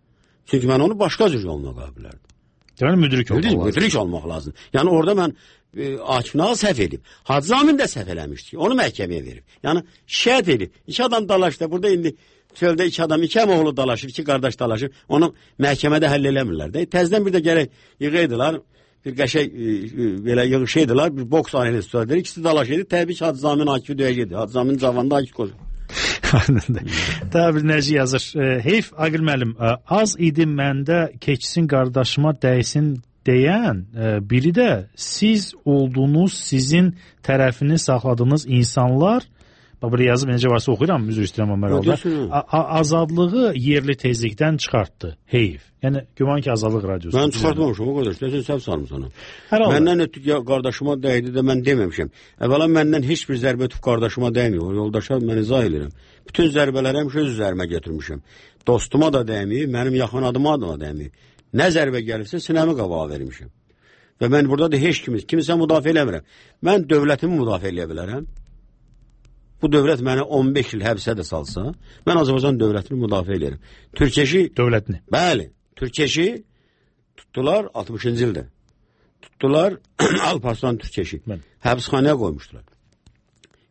Çünki mən onu başqa cür yoluna qoya bilərdim.
Yəni müdrik olmaq lazım.
Müdrik olmaq lazım. Yəni orada mən e, Akif Nağı səhv edib. Hacı Zamin də səhv eləmişdi. Onu məhkəməyə verib. Yəni şikayət edib. İki adam dalaşdı. Burada indi çöldə iki adam, iki əmoğlu dalaşır, iki qardaş dalaşır. Onu məhkəmədə həll eləmirlər də. Təzdən bir də gərək yığıydılar. Bir qəşək e, e, belə yığışıydılar. Bir boks aləli üstədir. İkisi dalaşırdı. Təbii ki, Hacı Zamin Akif'i döyəcəkdi. Hacı Zamin cavanda Akif qoydu.
Daha bir nəci yazır. E, heyf Aqil müəllim, e, az idi məndə keçsin qardaşıma dəysin deyən e, biri də siz olduğunuz, sizin tərəfini saxladığınız insanlar, bax burada yazıb necə varsa oxuyuram, üzr istəyirəm Ömər oğlu, azadlığı yerli tezlikdən çıxartdı. Heyf. Yəni güman ki, Azadlıq radiosu.
Mən çıxartmamışam o qardaş. Nəsə səhv sarmısan. Məndən ötüb ya qardaşıma dəydi də mən deməmişəm. Əvvəla məndən heç bir zərbə ötüb qardaşıma dəymir. O yoldaşa mən izah edirəm. Bütün zərbələri həmişə öz üzərimə götürmüşəm. Dostuma da dəymir, mənim yaxın adıma da dəymir. Nə zərbə gəlirsə sinəmi qabağa vermişəm. Və mən burada da heç kimi, kimsə müdafiə eləmirəm. Mən dövlətimi müdafiə eləyə bilərəm. Bu dövlət məni on beş il həbsə də salsa, mən Azərbaycan dövlətini müdafiə edirəm. Türkeşi
dövlətini.
Bəli, Türkeşi tutdular altmışıncı ildə. Tutdular Alparslan Türkeşi. Həbsxanaya qoymuşdular.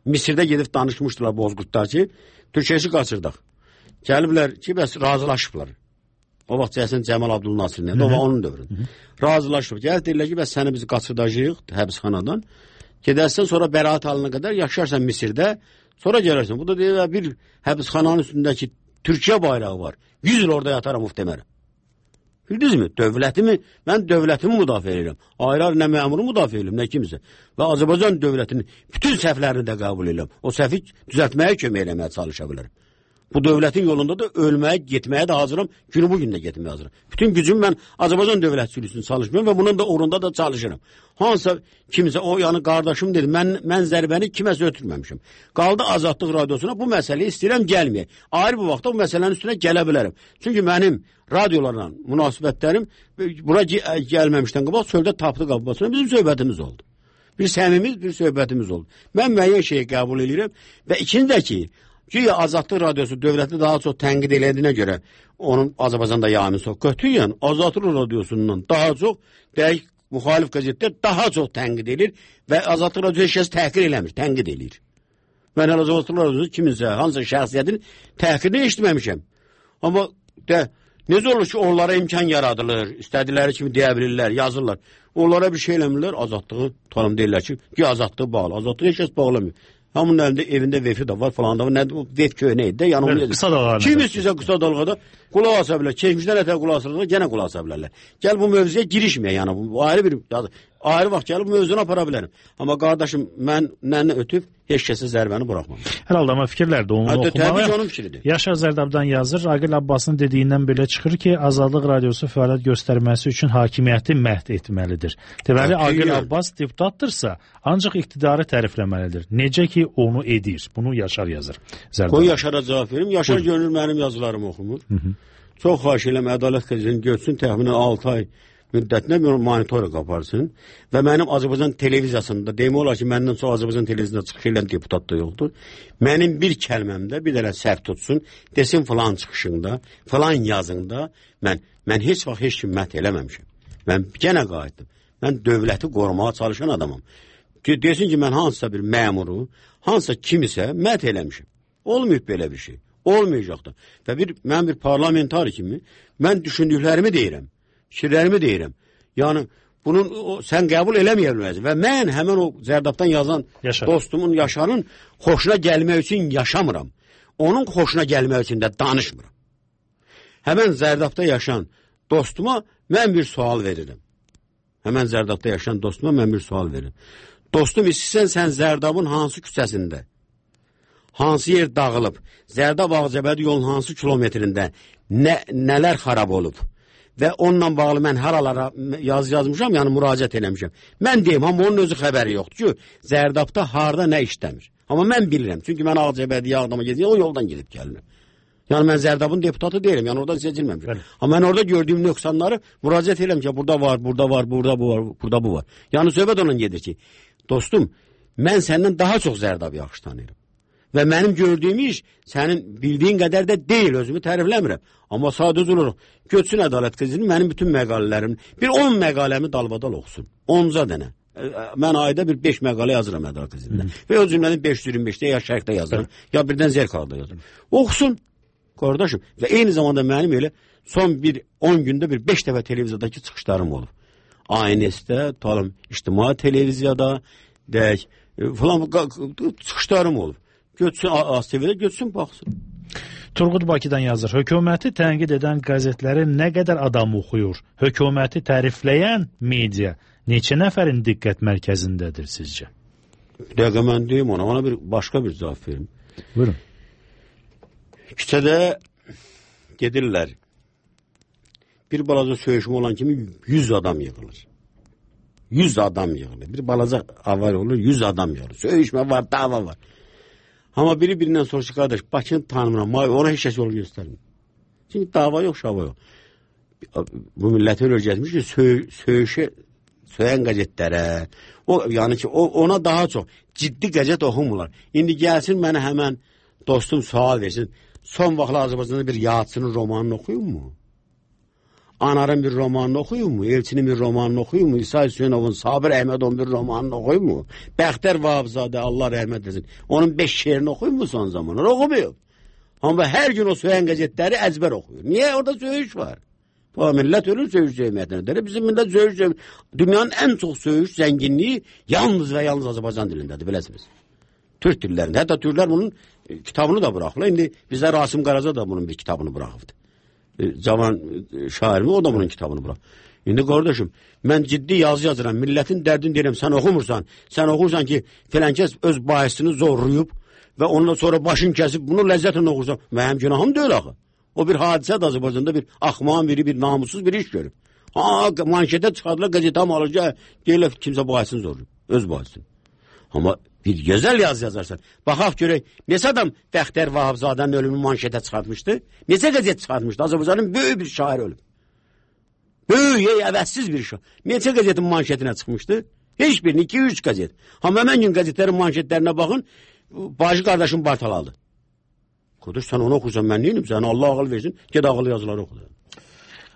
Misirdə gedib danışmışdılar Bozqurtlar ki, Türkeşi qaçırdıq. Gəliblər ki, bəs razılaşıblar. O vaxt Cəsən Cəmal Abdülnasir nədir? O vaxt onun dövründə. Razılaşıb. Gəl deyirlər ki, bəs səni biz qaçırdacağıq həbsxanadan. Gedərsən, sonra bəraət alına qədər yaşarsan Misirdə, sonra gələrsən. Bu da deyirlər, bir həbsxananın üstündəki Türkiyə bayrağı var. yüz il orada yataram muhtemelen. Bildiniz mi? Dövlətimi, mən dövlətimi müdafiə edirəm. Ayrı-ayrı nə məmuru müdafiə edirəm, nə kimsə. Və Azərbaycan dövlətinin bütün səhvlərini də qəbul edirəm. O səhvi düzəltməyə kömək eləməyə çalışa bilərəm. Bu dövlətin yolunda da ölməyə, getməyə də hazıram. Günü bugün də getməyə hazıram. Bütün gücüm mən Azərbaycan dövlətçiliyi üçün çalışmıyorum və bunun da uğrunda da çalışırım. Hansısa kimsə, o yəni qardaşım dedi, mən, mən zərbəni kiməsə ötürməmişim. Qaldı Azadlıq radiosuna bu məsələyi istəyirəm gəlməyək. Ayrı bir vaxtda bu məsələnin üstünə gələ bilərəm. Çünki mənim radiolarla münasibətlərim bura gəlməmişdən qabaq çöldə tapdı qabasına bizim söhbətimiz oldu. Bir səmimiz, bir söhbətimiz oldu. Mən müəyyən şeyi qəbul edirəm və ikinci də ki, güya Azadlıq radiosu dövləti daha çox tənqid elədiyinə görə onun Azərbaycanda yayını çox götürüyən Azadlıq radiosundan daha çox deyək müxalif qəzetlər daha çox tənqid edir və Azadlıq Radiosu heç kəs təhqir eləmir, tənqid edir. Mən hələ Azadlıq Radiosu kiminsə, hansısa şəxsiyyətin təhqirini eşitməmişəm. Amma də, necə olur ki, onlara imkan yaradılır, istədikləri kimi deyə bilirlər, yazırlar. Onlara bir şey eləmirlər, azadlığı tanım deyirlər ki, ki azadlığı bağlı. Azadlığı heç kəs bağlamıyor. Hamının əlində evində vefi də var falan da var. Nədir? Vef köynə idi də. Yəni,
evet, qısa dalğada.
Kim istəyirsə qısa dalğada qulaq asa bilər. Keçmişdən ətə qulaq asırlar, gənə qulaq asa bilərlər. Gəl bu mövzuya girişməyə, yəni bu ayrı bir ayrı vaxt gəlib bu mövzunu apara bilərəm. Amma qardaşım, mən nənə ötüb heç kəsə zərbəni buraxmam.
Hər halda amma fikirlər də onu
Hətta,
oxumalı.
Təbii ki, onun fikridir.
Yaşar Zərdabdan yazır, Aqil Abbasın dediyindən belə çıxır ki, Azadlıq Radiosu fəaliyyət göstərməsi üçün hakimiyyəti məhv etməlidir. Deməli, Aqil Abbas deputatdırsa, ancaq iqtidarı tərifləməlidir. Necə ki, onu edir. Bunu Yaşar yazır. Zərdab.
Qoy Yaşara cavab verim. Yaşar görünür mənim yazılarımı oxumur. Hı -hı. Çox xahiş eləm, Ədalət qəzetini görsün, təxminən altı ay müddətinə bir monitorik aparsın və mənim Azərbaycan televiziyasında, demək olar ki, məndən çox Azərbaycan televiziyasında çıxış elən deputat da yoxdur. Mənim bir kəlməmdə bir dənə səhv tutsun, desin filan çıxışında, filan yazında, mən, mən heç vaxt heç kim məhv eləməmişim. Mən genə qayıtdım. Mən dövləti qorumağa çalışan adamam. Desin ki, mən hansısa bir məmuru, hansısa kimisə məhv eləmişim. Olmayıb belə bir şey. Olmayacaq da. Və bir, mən bir parlamentar kimi, mən düşündüklərimi deyirəm. Fikirlərimi deyirəm. Yəni, bunun o, sən qəbul eləməyə bilməzsin. Və mən həmən o Zərdabdan yazan Yaşar. Dostumun, Yaşarın xoşuna gəlmək üçün yaşamıram. Onun xoşuna gəlmək üçün də danışmıram. Həmən Zərdabda yaşayan dostuma mən bir sual verirəm. Həmən Zərdabda yaşayan dostuma mən bir sual verirəm. Dostum, istəyirsən sən Zərdabın hansı küçəsində, hansı yer dağılıb, Zərdab Ağcabədi yolun hansı kilometrində nə, nələr xarab olub və onunla bağlı mən haralara yaz yazmışam, yəni müraciət eləmişəm. Mən deyim, amma onun özü xəbəri yoxdur ki, Zərdabda harda nə işləmir. Amma mən bilirəm, çünki mən Ağcabədiyə Ağdama gedirəm, o yoldan gedib gəlir. Yəni mən Zərdabın deputatı deyirəm, yəni oradan seçilməmişəm. Bəli. Amma mən orada gördüyüm nöqsanları müraciət eləmişəm ki, burada var, burada var, burada bu var, burada bu var. Yəni söhbət ondan gedir ki, dostum, mən səndən daha çox Zərdabı yaxşı tanıyırım. Və mənim gördüyüm iş sənin bildiyin qədər də deyil, özümü tərifləmirəm. Amma sadəcə olaraq götsün Ədalət qəzetini, mənim bütün məqalələrim, bir on məqaləmi dalbadal oxusun. onca dənə. Mən ayda bir beş məqalə yazıram Ədalət qəzetində. Və o cümlənin beş yüz iyirmi beşdə ya Şərqdə yazıram, ya birdən Zerkalda yazıram. Oxusun, qardaşım. Və eyni zamanda mənim elə son bir on gündə bir beş dəfə televiziyadakı çıxışlarım olub. A N S-də, talım, ictimai televiziyada, deyək, falan çıxışlarım olub. Götsün, A S T V-də götsün, baxsın.
Turqud Bakıdan yazır. Hökuməti tənqid edən qəzetləri nə qədər adam oxuyur? Hökuməti tərifləyən media neçə nəfərin diqqət mərkəzindədir sizcə?
Bir dəqiqə mən deyim ona, ona bir başqa bir cavab verim.
Buyurun.
Küçədə gedirlər. Bir balaca söyüşmə olan kimi yüz adam yığılır. yüz adam yığılır. Bir balaca avar olur, yüz adam yığılır. Söyüşmə var, dava var. Amma biri birindən soruşur, qardaş, Bakını tanımıram, ona heç kəs yol göstərmir. Çünki dava yox, şava yox. Bu milləti öyle öyrətmiş ki, söy, söyüşə, söyən qəzetlərə, o, yəni ki, o, ona daha çox ciddi qəzet oxumurlar. İndi gəlsin mənə həmən dostum sual versin, son vaxtlar Azərbaycanda bir Yadsının romanını oxuyun mu? Anarın bir romanını oxuyun mu? Elçinin bir romanını oxuyun mu? İsa Hüseynovun, Sabir Əhmədovun bir romanını oxuyun mu? Bəxtər Vahabzadə, Allah rəhmət etsin. Onun beş şeirini oxuyun mu son zamanlar? Oxumuyor. Amma hər gün o söyən qəzetləri əzbər oxuyur. Niyə? Orada söyüş var. Bu millət ölür söyüş cəmiyyətində. Bizim millət söyüş cəmiyyətində. Dünyanın ən çox söyüş zənginliyi yalnız və yalnız Azərbaycan dilindədir, biləsiniz. Türk dillərində. Hətta Türklər bunun kitabını da bıraxırlar. İndi bizdə Rasim Qaraca da bunun bir kitabını bıraxıbdı. Cavan şairimi, o da bunun kitabını bırak. İndi qardaşım, mən ciddi yazı yazıram, milletin dərdini deyirəm, sən oxumursan, sən oxursan ki, filankəs öz bahisini zorlayıb və ondan sonra başın kəsib, bunu ləzzətlə oxursan, mənim günahım deyil axı. O bir hadisədir Azərbaycanda, bir axmağın biri, bir namussuz bir iş görüb. Ha, manşetə çıxardılar, qəzetə alırca, deyirlər kimsə bahisini zorlayıb, öz bahisini. Amma bir gözəl yaz yazarsan. Baxaq görək, neçə adam Bəxtər Vahabzadənin ölümünü manşetə çıxartmışdı? Neçə qəzet çıxartmışdı? Azərbaycanın böyük bir şair ölüb. Böyük, əvəzsiz bir şair. Neçə qəzetin manşetinə çıxmışdı? Heç birini, iki üç qəzet. Amma həmən gün qəzetlərin manşetlərinə baxın, bacı qardaşım Bartaladı. Qardaş, sən onu oxursan, mən neyim? Sənə Allah ağıl versin, ged ağıl yazıları oxu.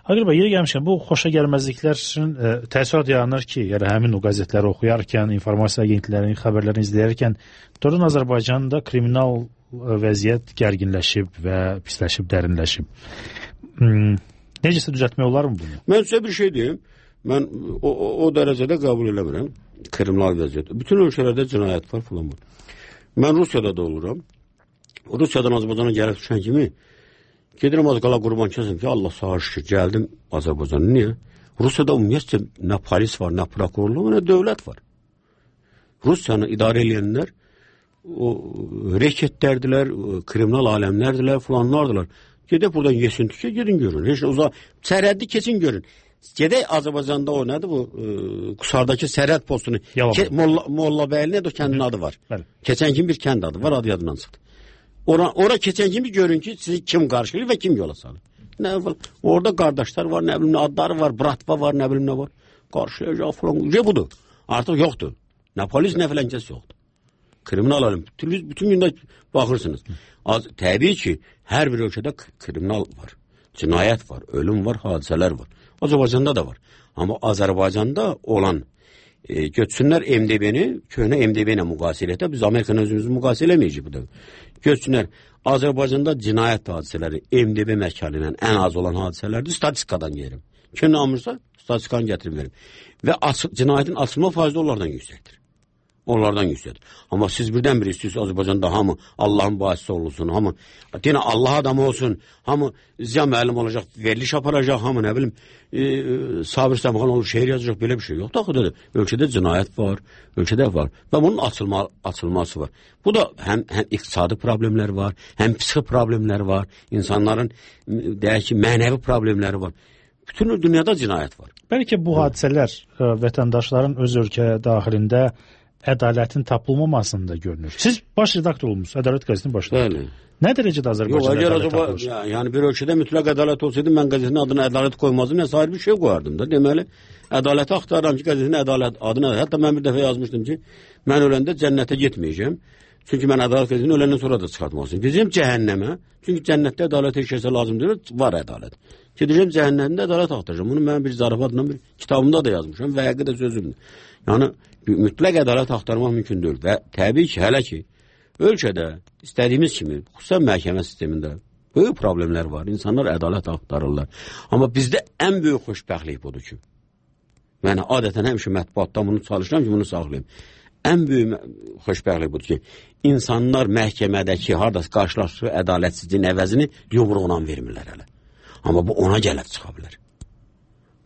Aqil bəy, yeri gəlmişkən, bu xoşa gəlməzliklərin e, təəssürat yaranır ki, yəni həmin o qəzetləri oxuyarkən, informasiya agentliklərinin xəbərlərini izləyərkən, doğrudan Azərbaycanda kriminal vəziyyət gərginləşib və pisləşib, dərinləşib. Hmm, necəsə düzəltmək olar mı bunu?
Mən sizə bir şey deyim. Mən o, o, o dərəcədə qəbul eləmirəm kriminal vəziyyət. Bütün ölkələrdə cinayət var falan var. Mən Rusiyada da oluram. Rusiyadan Azərbaycana gəlib düşən kimi gedirəm az qala qurban kəsim ki, Allah sağ şükür, gəldim Azərbaycana. Niyə? Rusiyada ümumiyyətcə nə polis var, nə prokurorluq, nə dövlət var. Rusiyanı idarə edənlər o reketlərdilər, kriminal aləmlərdilər, falanlardılar. Gedək buradan yesin tükə, gedin görün. Heç uzaq, sərhəddi keçin görün. Gedək Azərbaycanda o nədir bu, e, Qusardakı sərhəd postunu, ke, Molla, Mollabəyli nədir o kəndin adı var. Bəli. Keçən kimi bir kənd adı var, adı yadından çıxdı. Ora, ora keçən kimi görün ki, sizi kim qarşılayır və kim yola salır. Nə, orada qardaşlar var, nə bilim, adları var, bratva var, nə bilim nə var. Qarşılayacaq falan. Ce budur. Artıq yoxdur. Nə polis, nə filankəs yoxdur. Kriminal alım. Bütün, bütün gündə baxırsınız. Az, təbii ki, hər bir ölkədə kriminal var. Cinayət var, ölüm var, hadisələr var. Azərbaycanda da var. Amma Azərbaycanda olan e, götürsünlər M D B-ni, köhnə M D B ilə müqayisə elətə, biz Amerikanın özümüzü müqayisə eləməyəcək bu da. Götürsünlər, Azərbaycanda cinayət hadisələri M D B mərkəli ilə ən az olan hadisələrdir, statistikadan yerim. Kim namırsa, statistikanı gətirib verim. Və açıq, cinayətin açılma faizi onlardan yüksəkdir. Onlardan yüksəkdir. Amma siz birdən bir istəyirsiniz Azərbaycanda hamı Allahın bahisi olsun, hamı deyinə Allah adamı olsun, hamı ziya müəllim olacaq, veriliş aparacaq, hamı nə bilim e, Sabir Səmxan olur, şeir yazacaq, belə bir şey yox. Daxıdır, ölkədə cinayət var, ölkədə var və bunun açılma, açılması var. Bu da həm, həm iqtisadi problemlər var, həm psixi problemlər var, insanların deyək ki, mənəvi problemləri var. Bütün dünyada cinayət var.
Bəlkə bu hadisələr ə, vətəndaşların öz ölkə daxilində ədalətin tapılmamasında görünür. Siz baş redaktor olmuşsunuz, Ədalət qəzetinin baş redaktoru. Nə dərəcədə Azərbaycanda ədalət tapılır?
Ya, yəni bir ölkədə mütləq ədalət olsaydı, mən qəzetin adına ədalət qoymazdım, nə sair bir şey qoyardım da. Deməli, ədaləti axtarıram ki, qəzetin ədalət adına. Hətta mən bir dəfə yazmışdım ki, mən öləndə cənnətə getməyəcəm. Çünki mən ədalət qəzetini öləndən sonra da çıxartmalısın. Gedəcəm cəhənnəmə. Çünki cənnətdə ədalət heç kəsə lazım deyil, var ədalət. Gedəcəm cəhənnəmdə ədalət axtaracağam. Bunu mən bir zarafatla bir kitabımda da yazmışam və həqiqətən sözümdür. Yəni mütləq ədalət axtarmaq mümkün deyil və təbii ki, hələ ki ölkədə istədiyimiz kimi xüsusən məhkəmə sistemində böyük problemlər var. İnsanlar ədalət axtarırlar. Amma bizdə ən böyük xoşbəxtlik budur ki, mən adətən həmişə mətbuatda bunu çalışıram ki, bunu saxlayım. Ən böyük xoşbəxtlik budur ki, insanlar məhkəmədəki harda qarşılaşdığı ədalətsizliyin əvəzini yumruğuna vermirlər hələ. Amma bu ona gəlib çıxa bilər.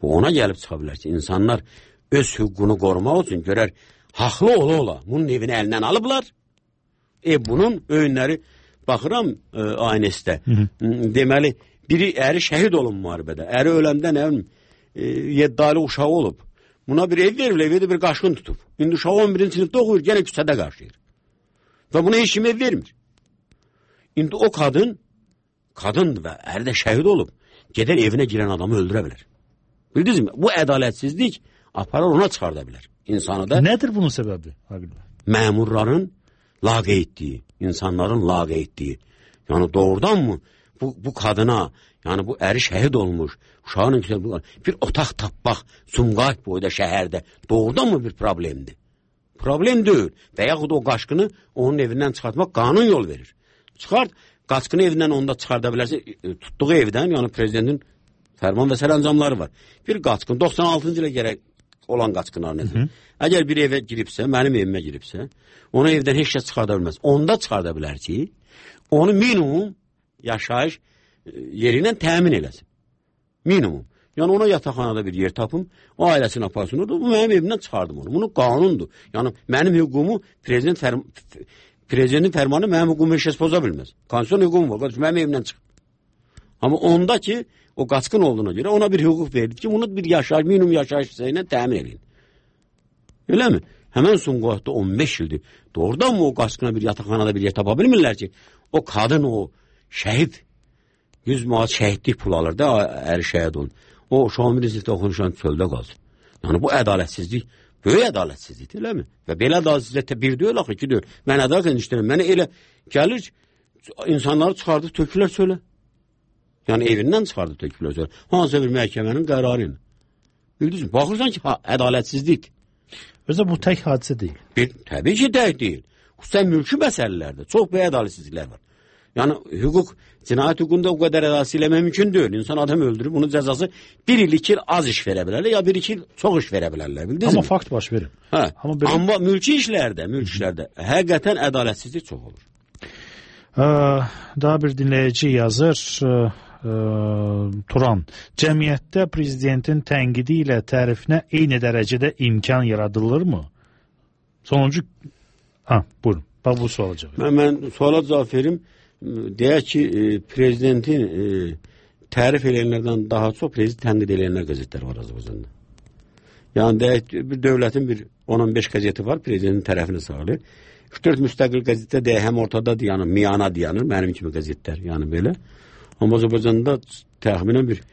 Bu ona gəlib çıxa bilər ki, insanlar öz hüququnu qorumaq üçün görər, haqlı ola-ola bunun evini əlindən alıblar. E, bunun öyünləri, baxıram e, aynəsdə, deməli, biri əri şəhid olun müharibədə, əri öləndə nə bilim, e, yeddali uşağı olub. Buna bir ev verir, evdə bir qaşqın tutub. İndi uşağı on birinci sinifdə oxuyur, gene küçədə qarşıyır. Və buna heç kim ev vermir. İndi o kadın, kadın və əri də şəhid olub, gedər evinə girən adamı öldürə bilər. Bildiniz mi? Bu ədalətsizlik aparar ona çıxarda bilər. İnsanı da...
Nədir bunun səbəbi?
Məmurların laqeydliyi, insanların laqeydliyi. Yəni doğrudan mı bu, bu kadına, yəni bu əri şəhid olmuş, uşağının güzel bir otaq tapmaq Sumqayıt boyda şəhərdə doğrudan mı bir problemdir? Problem deyil. Və yaxud o qaçqını onun evindən çıxartmaq qanun yol verir. Çıxart, qaçqını evindən onda çıxarda bilərsə, tutduğu evdən, yəni prezidentin fərman və sərəncamları var. Bir qaçqın, doxsan altıncı ilə gərək olan qaçqınlar nədir? Əgər bir evə giribsə, mənim evimə giribsə, onu evdən heç kəs çıxarda bilməz. Onda çıxarda bilər ki, onu minimum yaşayış yeri ilə təmin eləsin. Minimum. Yəni ona yataqxanada bir yer tapım, o ailəsini aparsın, bu mənim evimdən çıxardım onu. Bunu qanundur. Yəni mənim hüququmu prezident fərm prezidentin fərmanı mənim hüququmu heç kəs poza bilməz. Konstitusiyon hüququm var. Qardaş, mənim evimdən çıx. Amma onda ki, o qaçqın olduğuna görə ona bir hüquq verilir ki, bunu bir yaşayış, minimum yaşayış ilə təmin edin. Elə mi? Həmən Sumqayıtda on beş ildir. Doğrudan mı o qaçqına bir yataqxanada bir yer tapa bilmirlər ki, o kadın, o şəhid, yüz manat şəhidlik pul alır da, əri şəhid olun. O Şamil İzzətdə oxunuşan çöldə qalsın. Yəni bu ədalətsizlik, böyük ədalətsizlikdir, elə mi? Və belə ədalətsizlikdə bir deyil, axı, iki deyil. Mən ədalət işləyirəm. Mənə elə gəlir, insanları çıxardıb tökülər çölə. Yəni evindən çıxardı töküləcək. Hansısa bir məhkəmənin qərarı ilə. Bildiniz mi? Baxırsan ki, ha, ədalətsizlik.
Özə bu tək hadisə deyil.
Bir, təbii ki, tək deyil. Xüsusən mülki məsələlərdə çox böyük ədalətsizliklər var. Yəni hüquq, cinayət hüququnda o qədər ədalətsizlik mümkün deyil. İnsan adam öldürüb, bunun cəzası bir il, iki il az iş verə bilərlər, ya bir iki il çox iş verə bilərlər. Bildiniz
Amma
mi?
fakt baş verir.
Hə.
Amma, belə...
Amma mülki işlərdə, mülki işlərdə həqiqətən ədalətsizlik çox olur.
Ə, daha bir dinləyici yazır, ə, ə, Turan, cəmiyyətdə prezidentin tənqidi ilə tərifinə eyni dərəcədə imkan yaradılırmı? Sonuncu, ha, buyurun, bax bu suala cavab.
Mən, mən suala cavab verim. Deyək ki, e, prezidentin e, tərif edənlərdən daha çox prezident tənqid edənlər qəzetlər var Azərbaycanda. Yəni deyək bir dövlətin bir on on beş qəzeti var, prezidentin tərəfini sağlayır. üç dörd müstəqil qəzetdə deyək həm ortadadır, yəni miyana dayanır, mənim kimi qəzetlər, yəni belə. Amma Azərbaycanda təxminən bir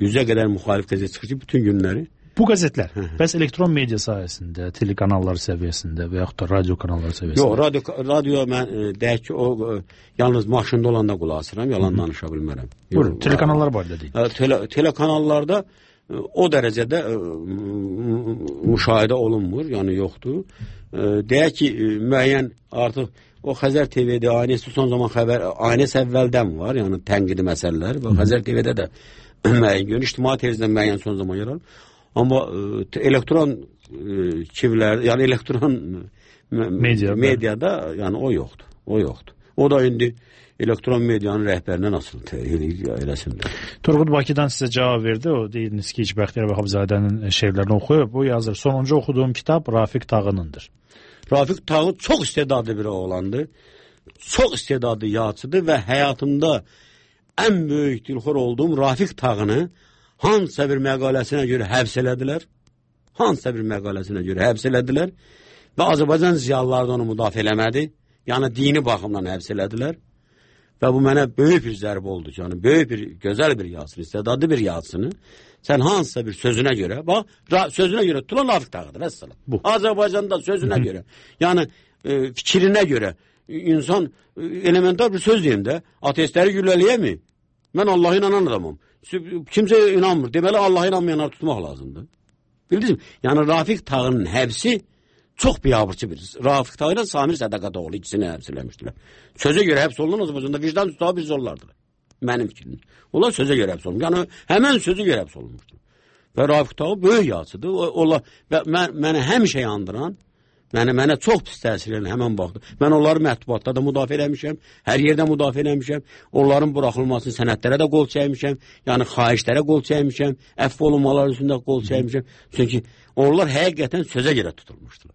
yüzə qədər müxalif qəzet çıxır ki, bütün günləri.
Bu qəzetlər, bəs elektron media sayəsində, telekanallar səviyyəsində və yaxud da radio kanalları səviyyəsində?
Yox, radio, radio mən e, deyək ki, o e, yalnız maşında olanda qulaq asıram, yalan danışa bilmərəm.
Buyurun, telekanallar barədə deyin.
Tele, telekanallarda e, o dərəcədə e, müşahidə olunmur, yəni yoxdur. E, deyək ki, e, müəyyən artıq o Xəzər T V-də, Aynəsi son zaman xəbər, Aynəs əvvəldən var, yəni tənqidi məsələlər və Xəzər T V-də də müəyyən gün, İctimai Televiziyada müəyyən son zaman yer alır. Amma e, elektron e, kivlər, yəni elektron Media, mediada yəni o yoxdur. O yoxdur. O da indi elektron medianın rəhbərindən asılı eləsindir.
Turqut Bakıdan sizə cavab verdi. O deyiniz ki, Bəxtiyar Vahabzadənin şeirlərini oxuyub. Bu yazır. Sonuncu oxuduğum kitab Rafiq Tağınındır.
Rafiq Tağın çox istedadlı bir oğlandı. Çox istedadlı yazıcıdır və həyatımda ən böyük dilxor olduğum Rafiq Tağını hansısa bir məqaləsinə görə həbs elədilər. Hansısa bir məqaləsinə görə həbs elədilər. Və Azərbaycan ziyalıları da onu müdafiə eləmədi. Yəni dini baxımdan həbs elədilər. Və bu mənə böyük bir zərbə oldu. Yəni böyük bir, gözəl bir yazısını, istedadlı bir yazısını sən hansısa bir sözünə görə, bax, sözünə görə tutulan Rafiq Tağıdır, vəssalam. Bu. Azərbaycanda sözünə görə, yəni e, fikrinə görə insan e, elementar bir söz deyim də, ateistləri gülləliyəmi? Mən Allah'a inanan adamım. Kimsə inanmır. Deməli Allah'a inanmayanları tutmaq lazımdır. Bildiniz mi? Yəni Rafiq Tağının həbsi çox biabırçı bir. Rafiq Tağı ilə Samir Sədaqatoğlu ikisini həbs eləmişdilər. Sözə görə həbs olunan Azərbaycanda vicdan tutağı bir zorlardır. Mənim fikrim. Onlar sözə görə həbs olunmuş. Yəni həmən sözə görə həbs olunmuşdur. Və Rafiq Tağı böyük yazıdır. Onlar və mən, mənə həmişə yandıran, Mənə, mənə çox pis təsir edən həmən baxdı. Mən onları mətbuatda da müdafiə eləmişəm, hər yerdə müdafiə eləmişəm. Onların buraxılmasını sənədlərə də qol çəkmişəm, yəni xahişlərə qol çəkmişəm, əfv olunmaları üstündə qol çəkmişəm. Çünki onlar həqiqətən sözə görə tutulmuşdular.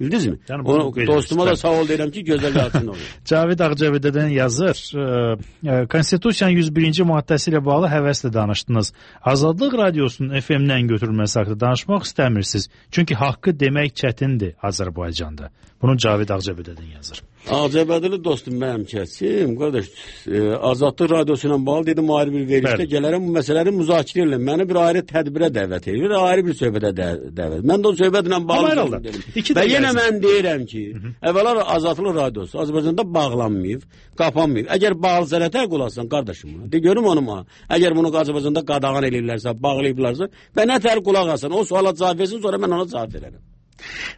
Bildiniz mi? Yəni, Onu, dostuma da sağ ol deyirəm ki, gözəl yazsın olur.
Cavid Ağcabədədən yazır. E, Konstitusiyanın yüz birinci maddəsi ilə bağlı həvəslə danışdınız. Azadlıq radiosunun F M-dən götürülməsi haqqında danışmaq istəmirsiniz. Çünki haqqı demək çətindir Azərbaycanda. Bunu Cavid Ağcabədədən yazır.
Ağcabədəli dostum mənim kəsim, qardaş, e, Azadlıq radiosu ilə bağlı dedim ayrı bir verişdə gələrəm bu məsələləri müzakirə edirəm. Məni bir ayrı tədbirə dəvət edir, ayrı bir söhbətə də, dəvət. Mən də o söhbətlə bağlı dedim. Və yenə mən deyirəm ki, əvvəla Azadlıq radiosu Azərbaycanda bağlanmayıb, qapanmayıb. Əgər bağlı sənətə qulasın qardaşım, de görüm onu ma. Əgər bunu Azərbaycanda qadağan edirlərsə, bağlayıblarsa, və nə tər qulaq asın, o suala cavab versin, sonra mən ona cavab verərəm.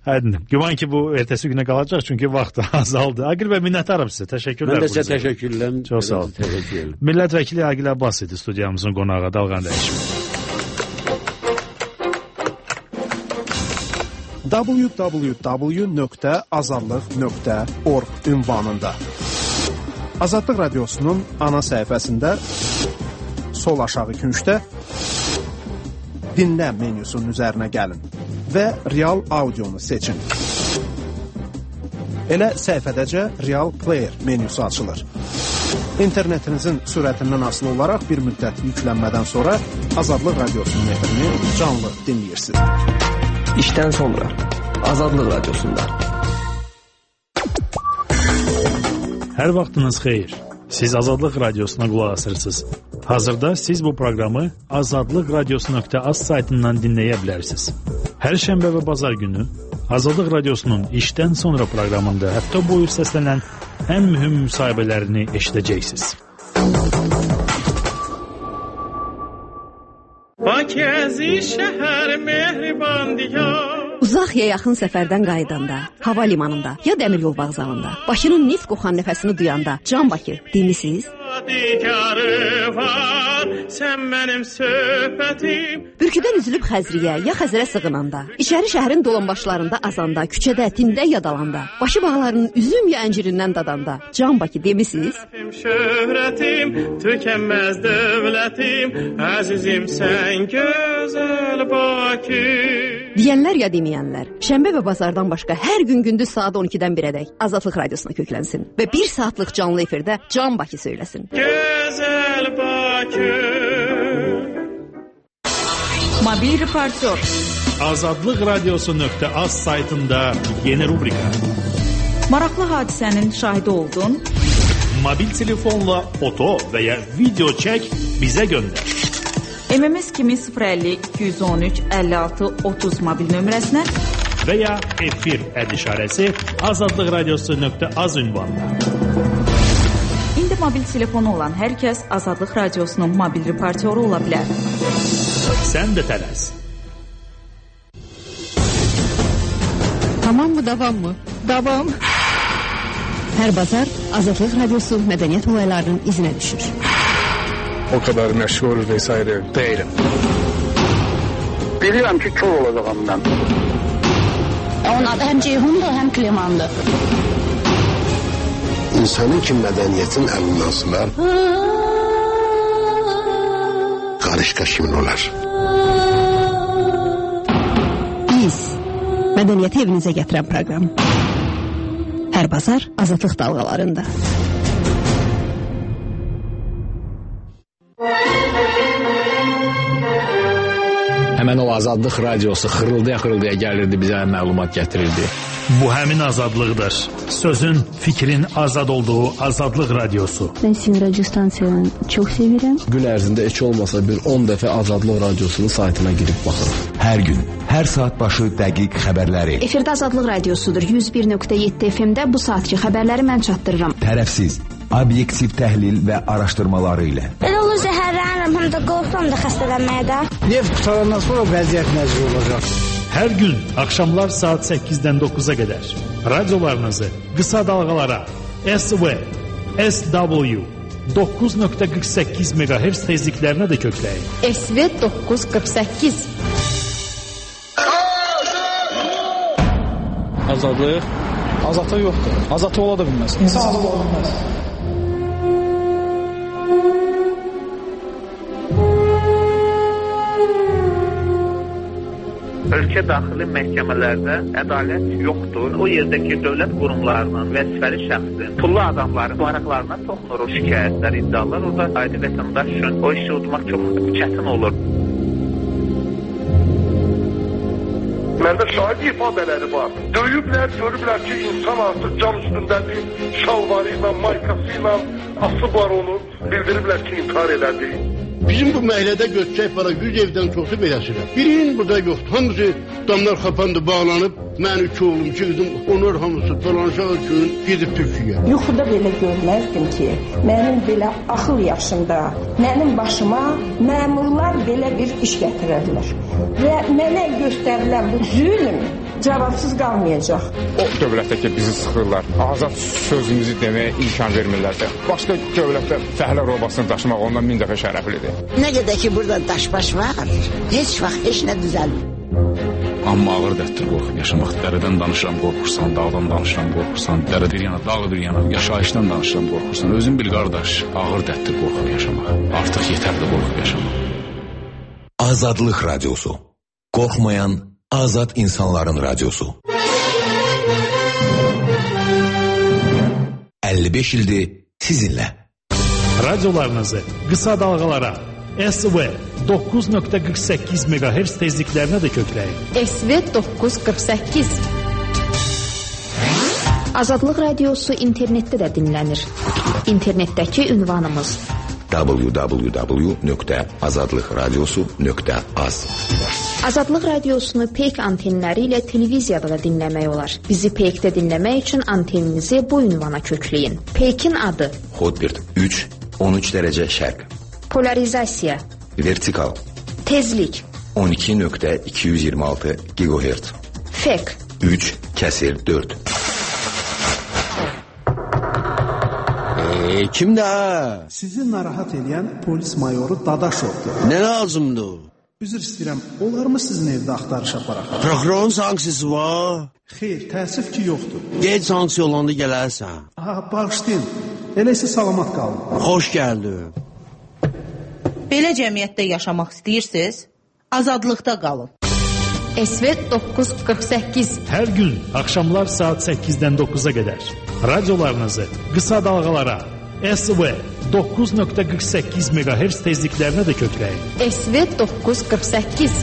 Aydın. Güman ki bu ertəsi günə qalacaq çünki vaxt azaldı. Aqil bəy, minnətdaram sizə. Təşəkkürlər.
Mən də sizə təşəkkürlər.
Çox sağ olun.
Təşəkkür.
Millət vəkili Aqil Abbas idi studiyamızın qonağı. Dalğan dəyişim.
w w w nöqtə azadlıq nöqtə org ünvanında Azadlıq radiosunun ana səhifəsində sol aşağı küncdə dinlə menyusunun üzərinə gəlin və real audionu seçin. Elə səhifədəcə Real Player menyusu açılır. İnternetinizin sürətindən asılı olaraq bir müddət yüklənmədən sonra Azadlıq radiosunun efrini canlı dinləyirsiniz.
İşdən sonra Azadlıq radiosunda.
Hər vaxtınız xeyir. Siz Azadlıq radiosuna qulaq asırsınız. Hazırda siz bu proqramı azadlıq radiosu nöqtə az saytından dinləyə bilərsiniz. Hər şənbə və bazar günü Azadlıq radiosunun işdən sonra proqramında həftə boyu səslənən ən mühüm müsahibələrini eşidəcəksiniz.
Pakezi şəhər mehriban diyar.
Uzaq ya yaxın səfərdən qayıdanda, hava limanında ya dəmir yol vağzalında, Bakının neft qoxan nəfəsini duyanda, Can Bakı demisiniz?
Var, sən mənim söhbətim.
Bürküdən üzülüb Xəzriyə ya Xəzərə sığınanda, içəri şəhərin dolanbaşlarında azanda, küçədə, tində yadalanda, başı bağlarının üzüm ya əncirindən dadanda, Can Bakı demisiniz?
Şöhrətim, tükənməz dövlətim, əzizim sən gözəl Bakı.
Deyənlər ya deməyənlər, şənbə və bazardan başqa hər gün gündüz saat on ikidən birədək Azadlıq Radiosuna köklənsin və bir saatlıq canlı efirdə Can Bakı söyləsin.
Gözəl Bakı.
Mobil reportyor.
Azadlıq Radiosu nöqtə az saytında yeni rubrika.
Maraqlı hadisənin şahidi oldun.
Mobil telefonla foto və ya video çək bizə göndər.
M M S kimi sıfır əlli iki yüz on üç əlli altı otuz mobil nömrəsinə
və ya efir əd işarəsi Azadlıq Radiosu nöqtə az ünvanına.
İndi mobil telefonu olan hər kəs Azadlıq Radiosunun mobil reportyoru ola bilər.
Sən də tələs.
Tamam mı, davam mı?
Davam.
Hər bazar Azadlıq Radiosu mədəniyyət olaylarının izinə düşür.
O kadar məşğul vesaire değilim.
Bilirəm ki, kör olacağım mən.
Onun adı həm Ceyhundur, həm Klemandır.
İnsanın ki mədəniyyətin əlindən asılar, qarışqa kimin olar?
Biz, mədəniyyəti evinizə gətirən proqram. Hər bazar Azadlıq dalğalarında.
Həmən o Azadlıq Radiosu xırıldaya-xırıldaya gəlirdi, bizə məlumat gətirirdi.
Bu həmin azadlıqdır. Sözün, fikrin azad olduğu Azadlıq Radiosu.
Ben sizin radyo stansiyanı çok seviyorum.
Gün ərzində heç olmasa bir on dəfə Azadlıq Radiosunun saytına girib baxırıq.
Hər gün, hər saat başı dəqiq xəbərləri.
Efirdə Azadlıq Radiosudur. yüz bir nöqtə yeddi F M-də bu saatki xəbərləri mən çatdırıram.
Tərəfsiz, obyektiv təhlil və araşdırmaları ilə.
Elə olur zəhərlənirəm, həm də qorxuram da xəstələnməyə də.
Neft qutarandan sonra vəziyyət necə olacaq?
Hər gün axşamlar saat səkkizdən doqquza qədər radiolarınızı qısa dalğalara S V, S W doqquz nöqtə qırx səkkiz meqahertz tezliklərinə də kökləyin.
S V doqquz qırx səkkiz.
Azadlıq? Azadlıq yoxdur. Azadlıq ola da bilməz. İnsan azad ola bilməz.
Ölkə daxili məhkəmələrdə ədalət yoxdur. O yerdəki dövlət qurumlarının vəzifəli şəxsin, pullu adamların maraqlarına toxunur o şikayətlər, iddialar. Orada adi vətəndaş üçün o işi udmaq çox çətin olur.
Məndə şahid ifadələri var. Döyüblər, görüblər ki, insan artıq cam üstündədir, şalvarı ilə, maykası ilə asıblar onu, bildiriblər ki, intihar elədi.
Bizim bu məhəllədə götürək para yüz evdən çoxsu beləsirəm. Birinin burada yoxdur. Hamısı damlar xapandı, bağlanıb. Mən üç oğlum, iki qızım, onlar hamısı dolanışaq üçün gedib Türkiyə.
Yuxuda belə görməzdim ki, mənim belə axıl yaşımda, mənim başıma məmurlar belə bir iş gətirərlər. Və mənə göstərilən bu zülm cavabsız qalmayacaq.
O dövlətdə ki, bizi sıxırlar, azad sözümüzü deməyə imkan vermirlərsə, başqa dövlətdə fəhlə robasını daşımaq ondan min dəfə şərəflidir.
Nə qədər ki, burada daşbaş var, heç vaxt heç nə düzəlmir.
Amma ağır dətdir qorxub yaşamaq. Dərədən danışıram, qorxursan, dağdan danışıram, qorxursan, dərə bir yana, dağ bir yana, yaşayışdan danışıram, qorxursan. Özün bil, qardaş, ağır dətdir qorxub yaşamaq. Artıq yetərli qorxub yaşamaq.
Azadlıq Radiosu. Qorxmayan, azad insanların radiosu. əlli beş ildir sizinlə.
Radiolarınızı qısa dalğalara S V doqquz nöqtə qırx səkkiz meqahertz tezliklərinə də kökləyin.
S V doqquz qırx səkkiz.
Azadlıq Radiosu internetdə də dinlənir. İnternetdəki ünvanımız
w w w nöqtə azadlıq radiosu nöqtə az.
Azadlıq Radiosunu peyk antenləri ilə televiziyada da dinləmək olar. Bizi peykdə dinləmək üçün anteninizi bu ünvana kökləyin. Peykin adı
Hotbird üç on üç dərəcə şərq.
Polarizasiya
Vertikal
Tezlik
on iki nöqtə iki yüz iyirmi altı gigahertz.
Fek
üç kəsir dörd.
Eee, kimdə?
Sizi narahat edən polis mayoru Dadaşovdur.
Nə lazımdır?
Üzr istəyirəm, olar mı sizin evdə axtarış aparaq?
Prokurorun sanksiyası var?
Xeyr, təəssüf ki, yoxdur.
Gec sanksiya olanda gələrsən.
Aha, bağışlayın. Elə isə salamat qalın.
Xoş gəldin.
Belə cəmiyyətdə yaşamaq istəyirsiniz? Azadlıqda qalın.
S V doqquz qırx səkkiz.
Hər gün axşamlar saat səkkizdən doqquza qədər radiolarınızı qısa dalğalara S V doqquz nöqtə qırx səkkiz megahertz tezliklərinə də kökləyin.
S V doqquz qırx səkkiz.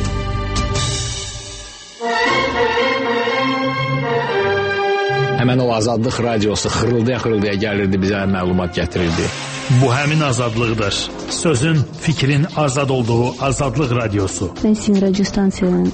Həmən o Azadlıq radiosu xırıldaya-xırıldaya gəlirdi, bizə məlumat gətirirdi.
Bu həmin azadlıqdır. Sözün, fikrin azad olduğu Azadlıq radiosu.
Mən sizin radio stansiyanın